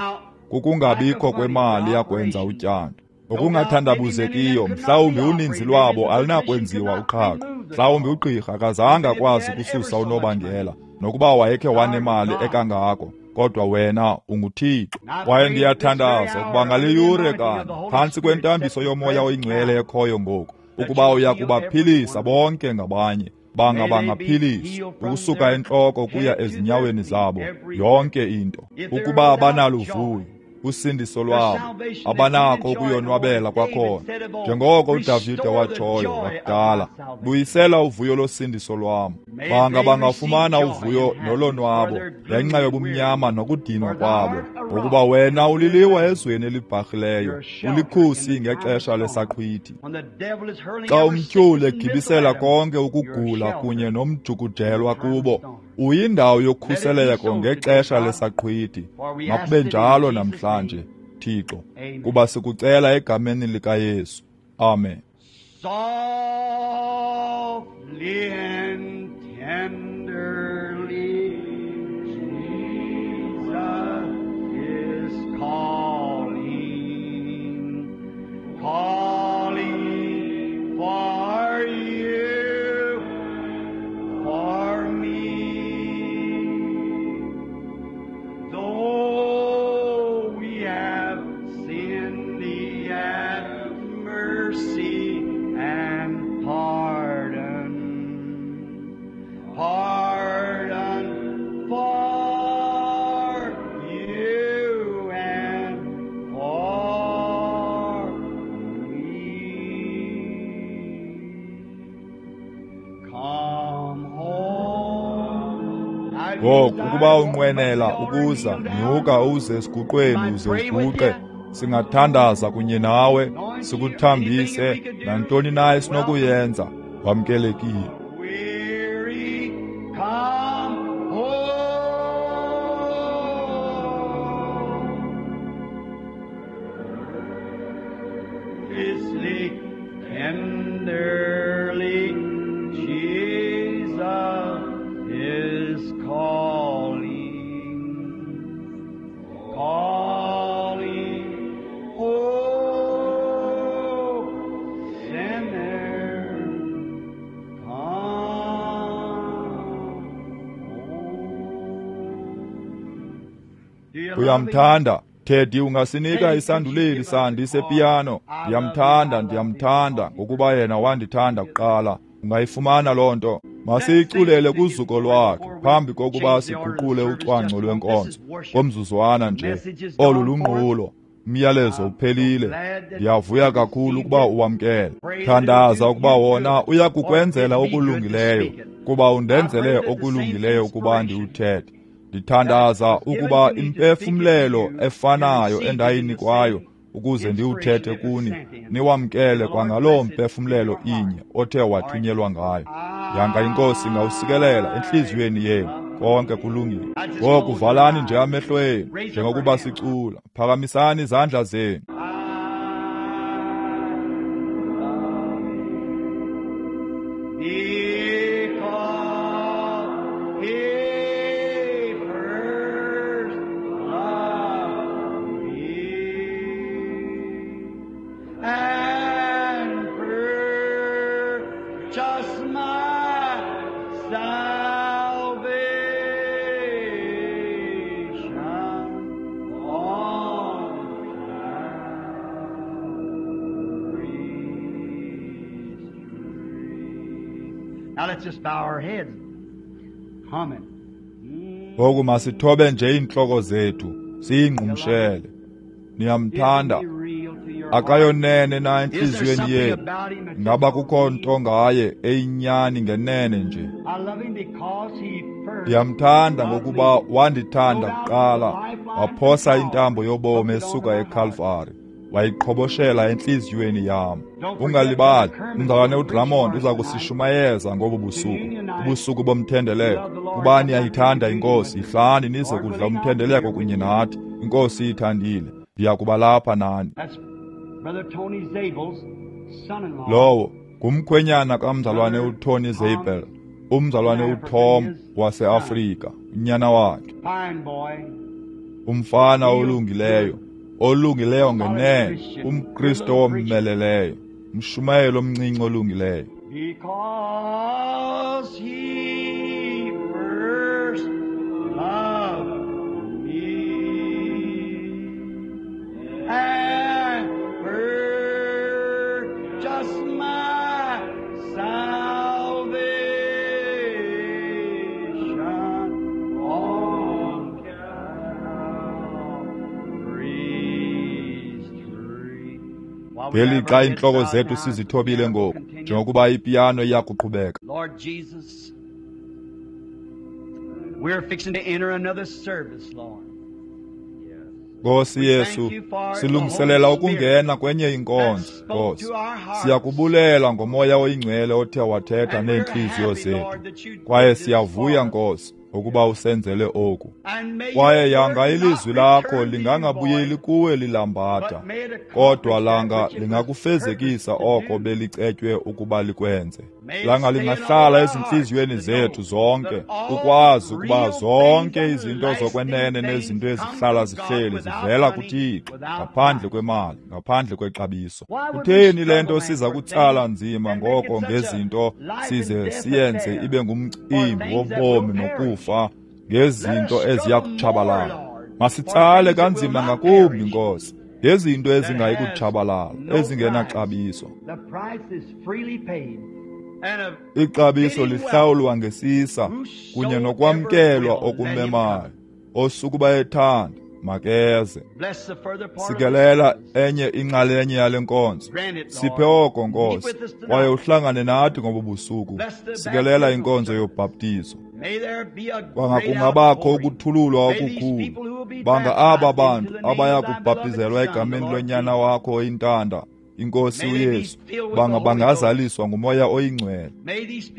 kukungabikho kwemali yakwenza utyando. Ngokungathandabuzekiyo, mhlawumbi uninzi lwabo alunakwenziwa uqhaqho. Mhlawumbi ugqirha akazange akwazi ukususa unobangela, nokuba wayekhe wanemali ekangako, kodwa wena unguThixo. Kwaye ndiyathandaza ukuba ngale yure kanye, phantsi kwentambiso yoMoya oyiNgcwele ekhoyo ngoku, ukuba uya kubaphilisa bonke ngabanye, banga bangaphiliswa ukusuka entloko kuya ezinyaweni zabo, yonke into. Ukuba abanaluvuyo usindiso lwabo, abanako ukuyonwabela kwakhona, njengoko uDavide watshoyo wakudala, buyisela uvuyo losindiso lwam. Banga bangafumana uvuyo nolonwabo ngenxa yobumnyama nokudinwa kwabo, ngokuba wena uliliwa ezweni elibharhileyo, ulikhusi ngexesha lesaqhwithi. Xa umtyholi egibisela konke ukugula kunye nomjukujelwa kubo, uyindawo yokhuseleko ngexesha lesaqhwithi. Makube njalo namhlanje, Thixo, kuba sikucela egameni likaYesu. Amen. Softly and tenderly, Jesus is calling, calling for you, for me. Ngoku ukuba unqwenela ukuza, nyuka uze esiguqweni uze uguqe. Singathandaza kunye nawe, sikuthambise, nantoni na esinokuyenza. Wamkelekile. Weary, come home. Fiercely, tenderly, Jesus is calling, calling, oh, sinner, come home. Do you love him? Uyamthanda Teddy, ungasinika isanduleli sandi sepiyano. Ndiyamthanda, ndiyamthanda ngokuba yena wandithanda kuqala. Ungayifumana loo nto. Masiyiculele kuzuko lwakhe phambi kokuba siguqule ucwangco lwenkonzo. Ngomzuzwana nje, olu lunqulo. Umyalezo uphelile. Ndiyavuya kakhulu ukuba uwamkele. Thandaza ukuba wona uya kukwenzela okulungileyo, kuba undenzele okulungileyo ukuba ndiwuthethe. Ndithandaza ukuba impefumlelo efanayo endayinikwayo ukuze ndiwuthethe kuni, niwamkele kwangaloo mpefumlelo inye othe wathunyelwa ngayo. Yanga iNkosi ingawusikelela entliziyweni yenu. Konke kulungile. Ngoku valani nje amehlo enu njengokuba sicula. Phakamisani izandla zenu. Because he first loved me and purchased my salvation on Calvary's tree. Now let's just bow our heads, humming. Ngoku masithobe nje iintloko zethu siyingqumshele. Niyamthanda? Akayonene na entliziyweni yenu? Ngaba kukho nto ngaye eyinyani ngenene nje? Ndiyamthanda ngokuba wandithanda kuqala, waphosa intambo yobomi esuka eKalvari, wayiqhoboshela entliziyweni yam. Ungalibali, umzalwane uDrummond uza kusishumayeza ngobu busuku, ubusuku bomthendeleko. Kuba niyayithanda iNkosi, yihlani nize kudla umthendeleko kunye nathi. INkosi iyithandile, ndiya kuba lapha nani. That's Brother Tony Zabel's son-in-law. Lowo ngumkhwenyana kamzalwane uTony Zabel, umzalwane uTom waseAfrika, unyana wakhe. Fine boy. Umfana olungileyo, olungileyo ngenene, umKristu owomeleleyo, umshumayeli omncinci olungileyo. Because he first loved me and purchased my salvation on Calvary's tree. While we have Ngelixa our heads iintloko bowed zethu now, sizithobile the piano ngoku, continues. njengokuba ipiyano iya kuqhubeka. Lord Jesus, we're fixing to enter another service, Lord. Nkosi Yesu, silungiselela ukungena kwenye inkonzo, Nkosi. Siyakubulela ngoMoya oyiNgcwele othe wathetha And we're neentliziyo happy, zethu. Lord, that you did Kwaye this siyavuya, for us. Nkosi, ukuba usenzele oku. And may Kwaye your yanga word not ilizwi lakho return to you lingangabuyeli void, kuwe lilambatha, but may it accomplish kodwa that langa which it was lingakufezekisa purposed to oko do. belicetywe ukuba likwenze. May it Langa stay in all lingahlala our ezintliziyweni hearts to zethu know zonke, that all ukwazi ukuba real things zonke and izinto lasting zokwenene things nezinto come ezihlala from God zihleli without zivela money, kuThixo, without ngaphandle price. kwemali, ngaphandle kwexabiso. Why would we Kutheni le nto struggle, man, siza for kutsala things nzima and make it ngoko such a ngezinto life and size death siyenze affair ibe for ngumcimbi things that will wobomi perish? nokufa Let us ngezinto eziya struggle more, kutshabalala? Lord, for Masitsale things that will kanzima not ngakumbi, perish, Nkosi, ngezinto that ezingayi has kutshabalala, no price. ezingenaxabiso. The price is freely paid. And of Ixabiso fitting welcome, lihlawulwa ngesisa kunye whosoever nokwamkelwa will, let him okumemayo. come. Osukuba ethanda, makeze. Bless the further part of this Sikelela service. enye inxalenye yale nkonzo. Grant it, Siphe Lord. oko, Meet Nkosi, with us kwaye tonight. uhlangane nathi ngobu busuku. Bless the Sikelela baptismal inkonzo service. yobhaptizo. Kwanga kungabakho ukuthululwa okukhulu. Banga aba bantu abaya kubhaptizelwa egameni loNyana wakho oyintanda, iNkosi uYesu, banga bangazaliswa nguMoya oyiNgcwele.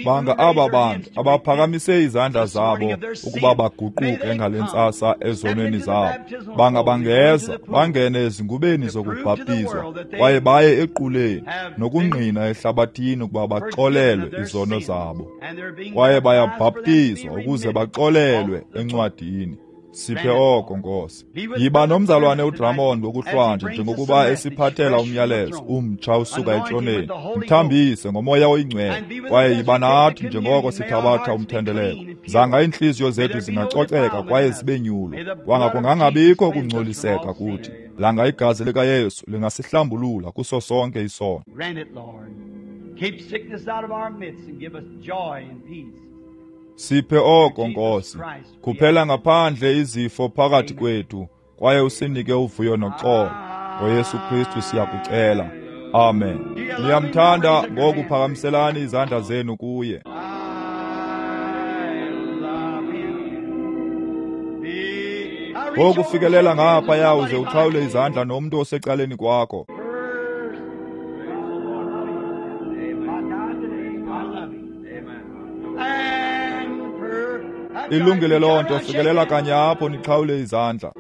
Banga aba bantu abaphakamise izandla zabo ukuba baguquke ngale ntsasa ezonweni zabo, banga bangeza bangene ezingubeni zokubhaptizwa kwaye baye equleni nokungqina ehlabathini ukuba baxolelwe izono zabo, kwaye bayabhaptizwa ukuze baxolelwe encwadini. Siphe oko, Nkosi. Yiba nomzalwane uDrummond ngokuhlwanje njengokuba esiphathela umyalezo umtsha usuka etroneni. Mthambise ngoMoya oyiNgcwele, kwaye yiba nathi njengoko sithabatha umthendeleko. Zanga iintliziyo zethu zingacoceka kwaye zibe nyulu. Kwanga kungangabikho kungcoliseka kuthi. Langa igazi likaYesu lingasihlambulula kuso sonke isono. Siphe oko, Nkosi. Khuphela ngaphandle izifo phakathi kwethu, kwaye usinike uvuyo noxolo. NgoYesu Kristu siyakucela. Amen. Niyamthanda, ngoku phakamiselani izandla zenu kuye. Ngoku fikelela ngaphaya uze uxhawule izandla nomntu osecaleni kwakho. Ilungile loo nto, fikelela kanye apho nixhawule izandla.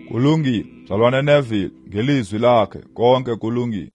Kulungile, mzalwane Neville, ngelizwi lakhe konke kulungile.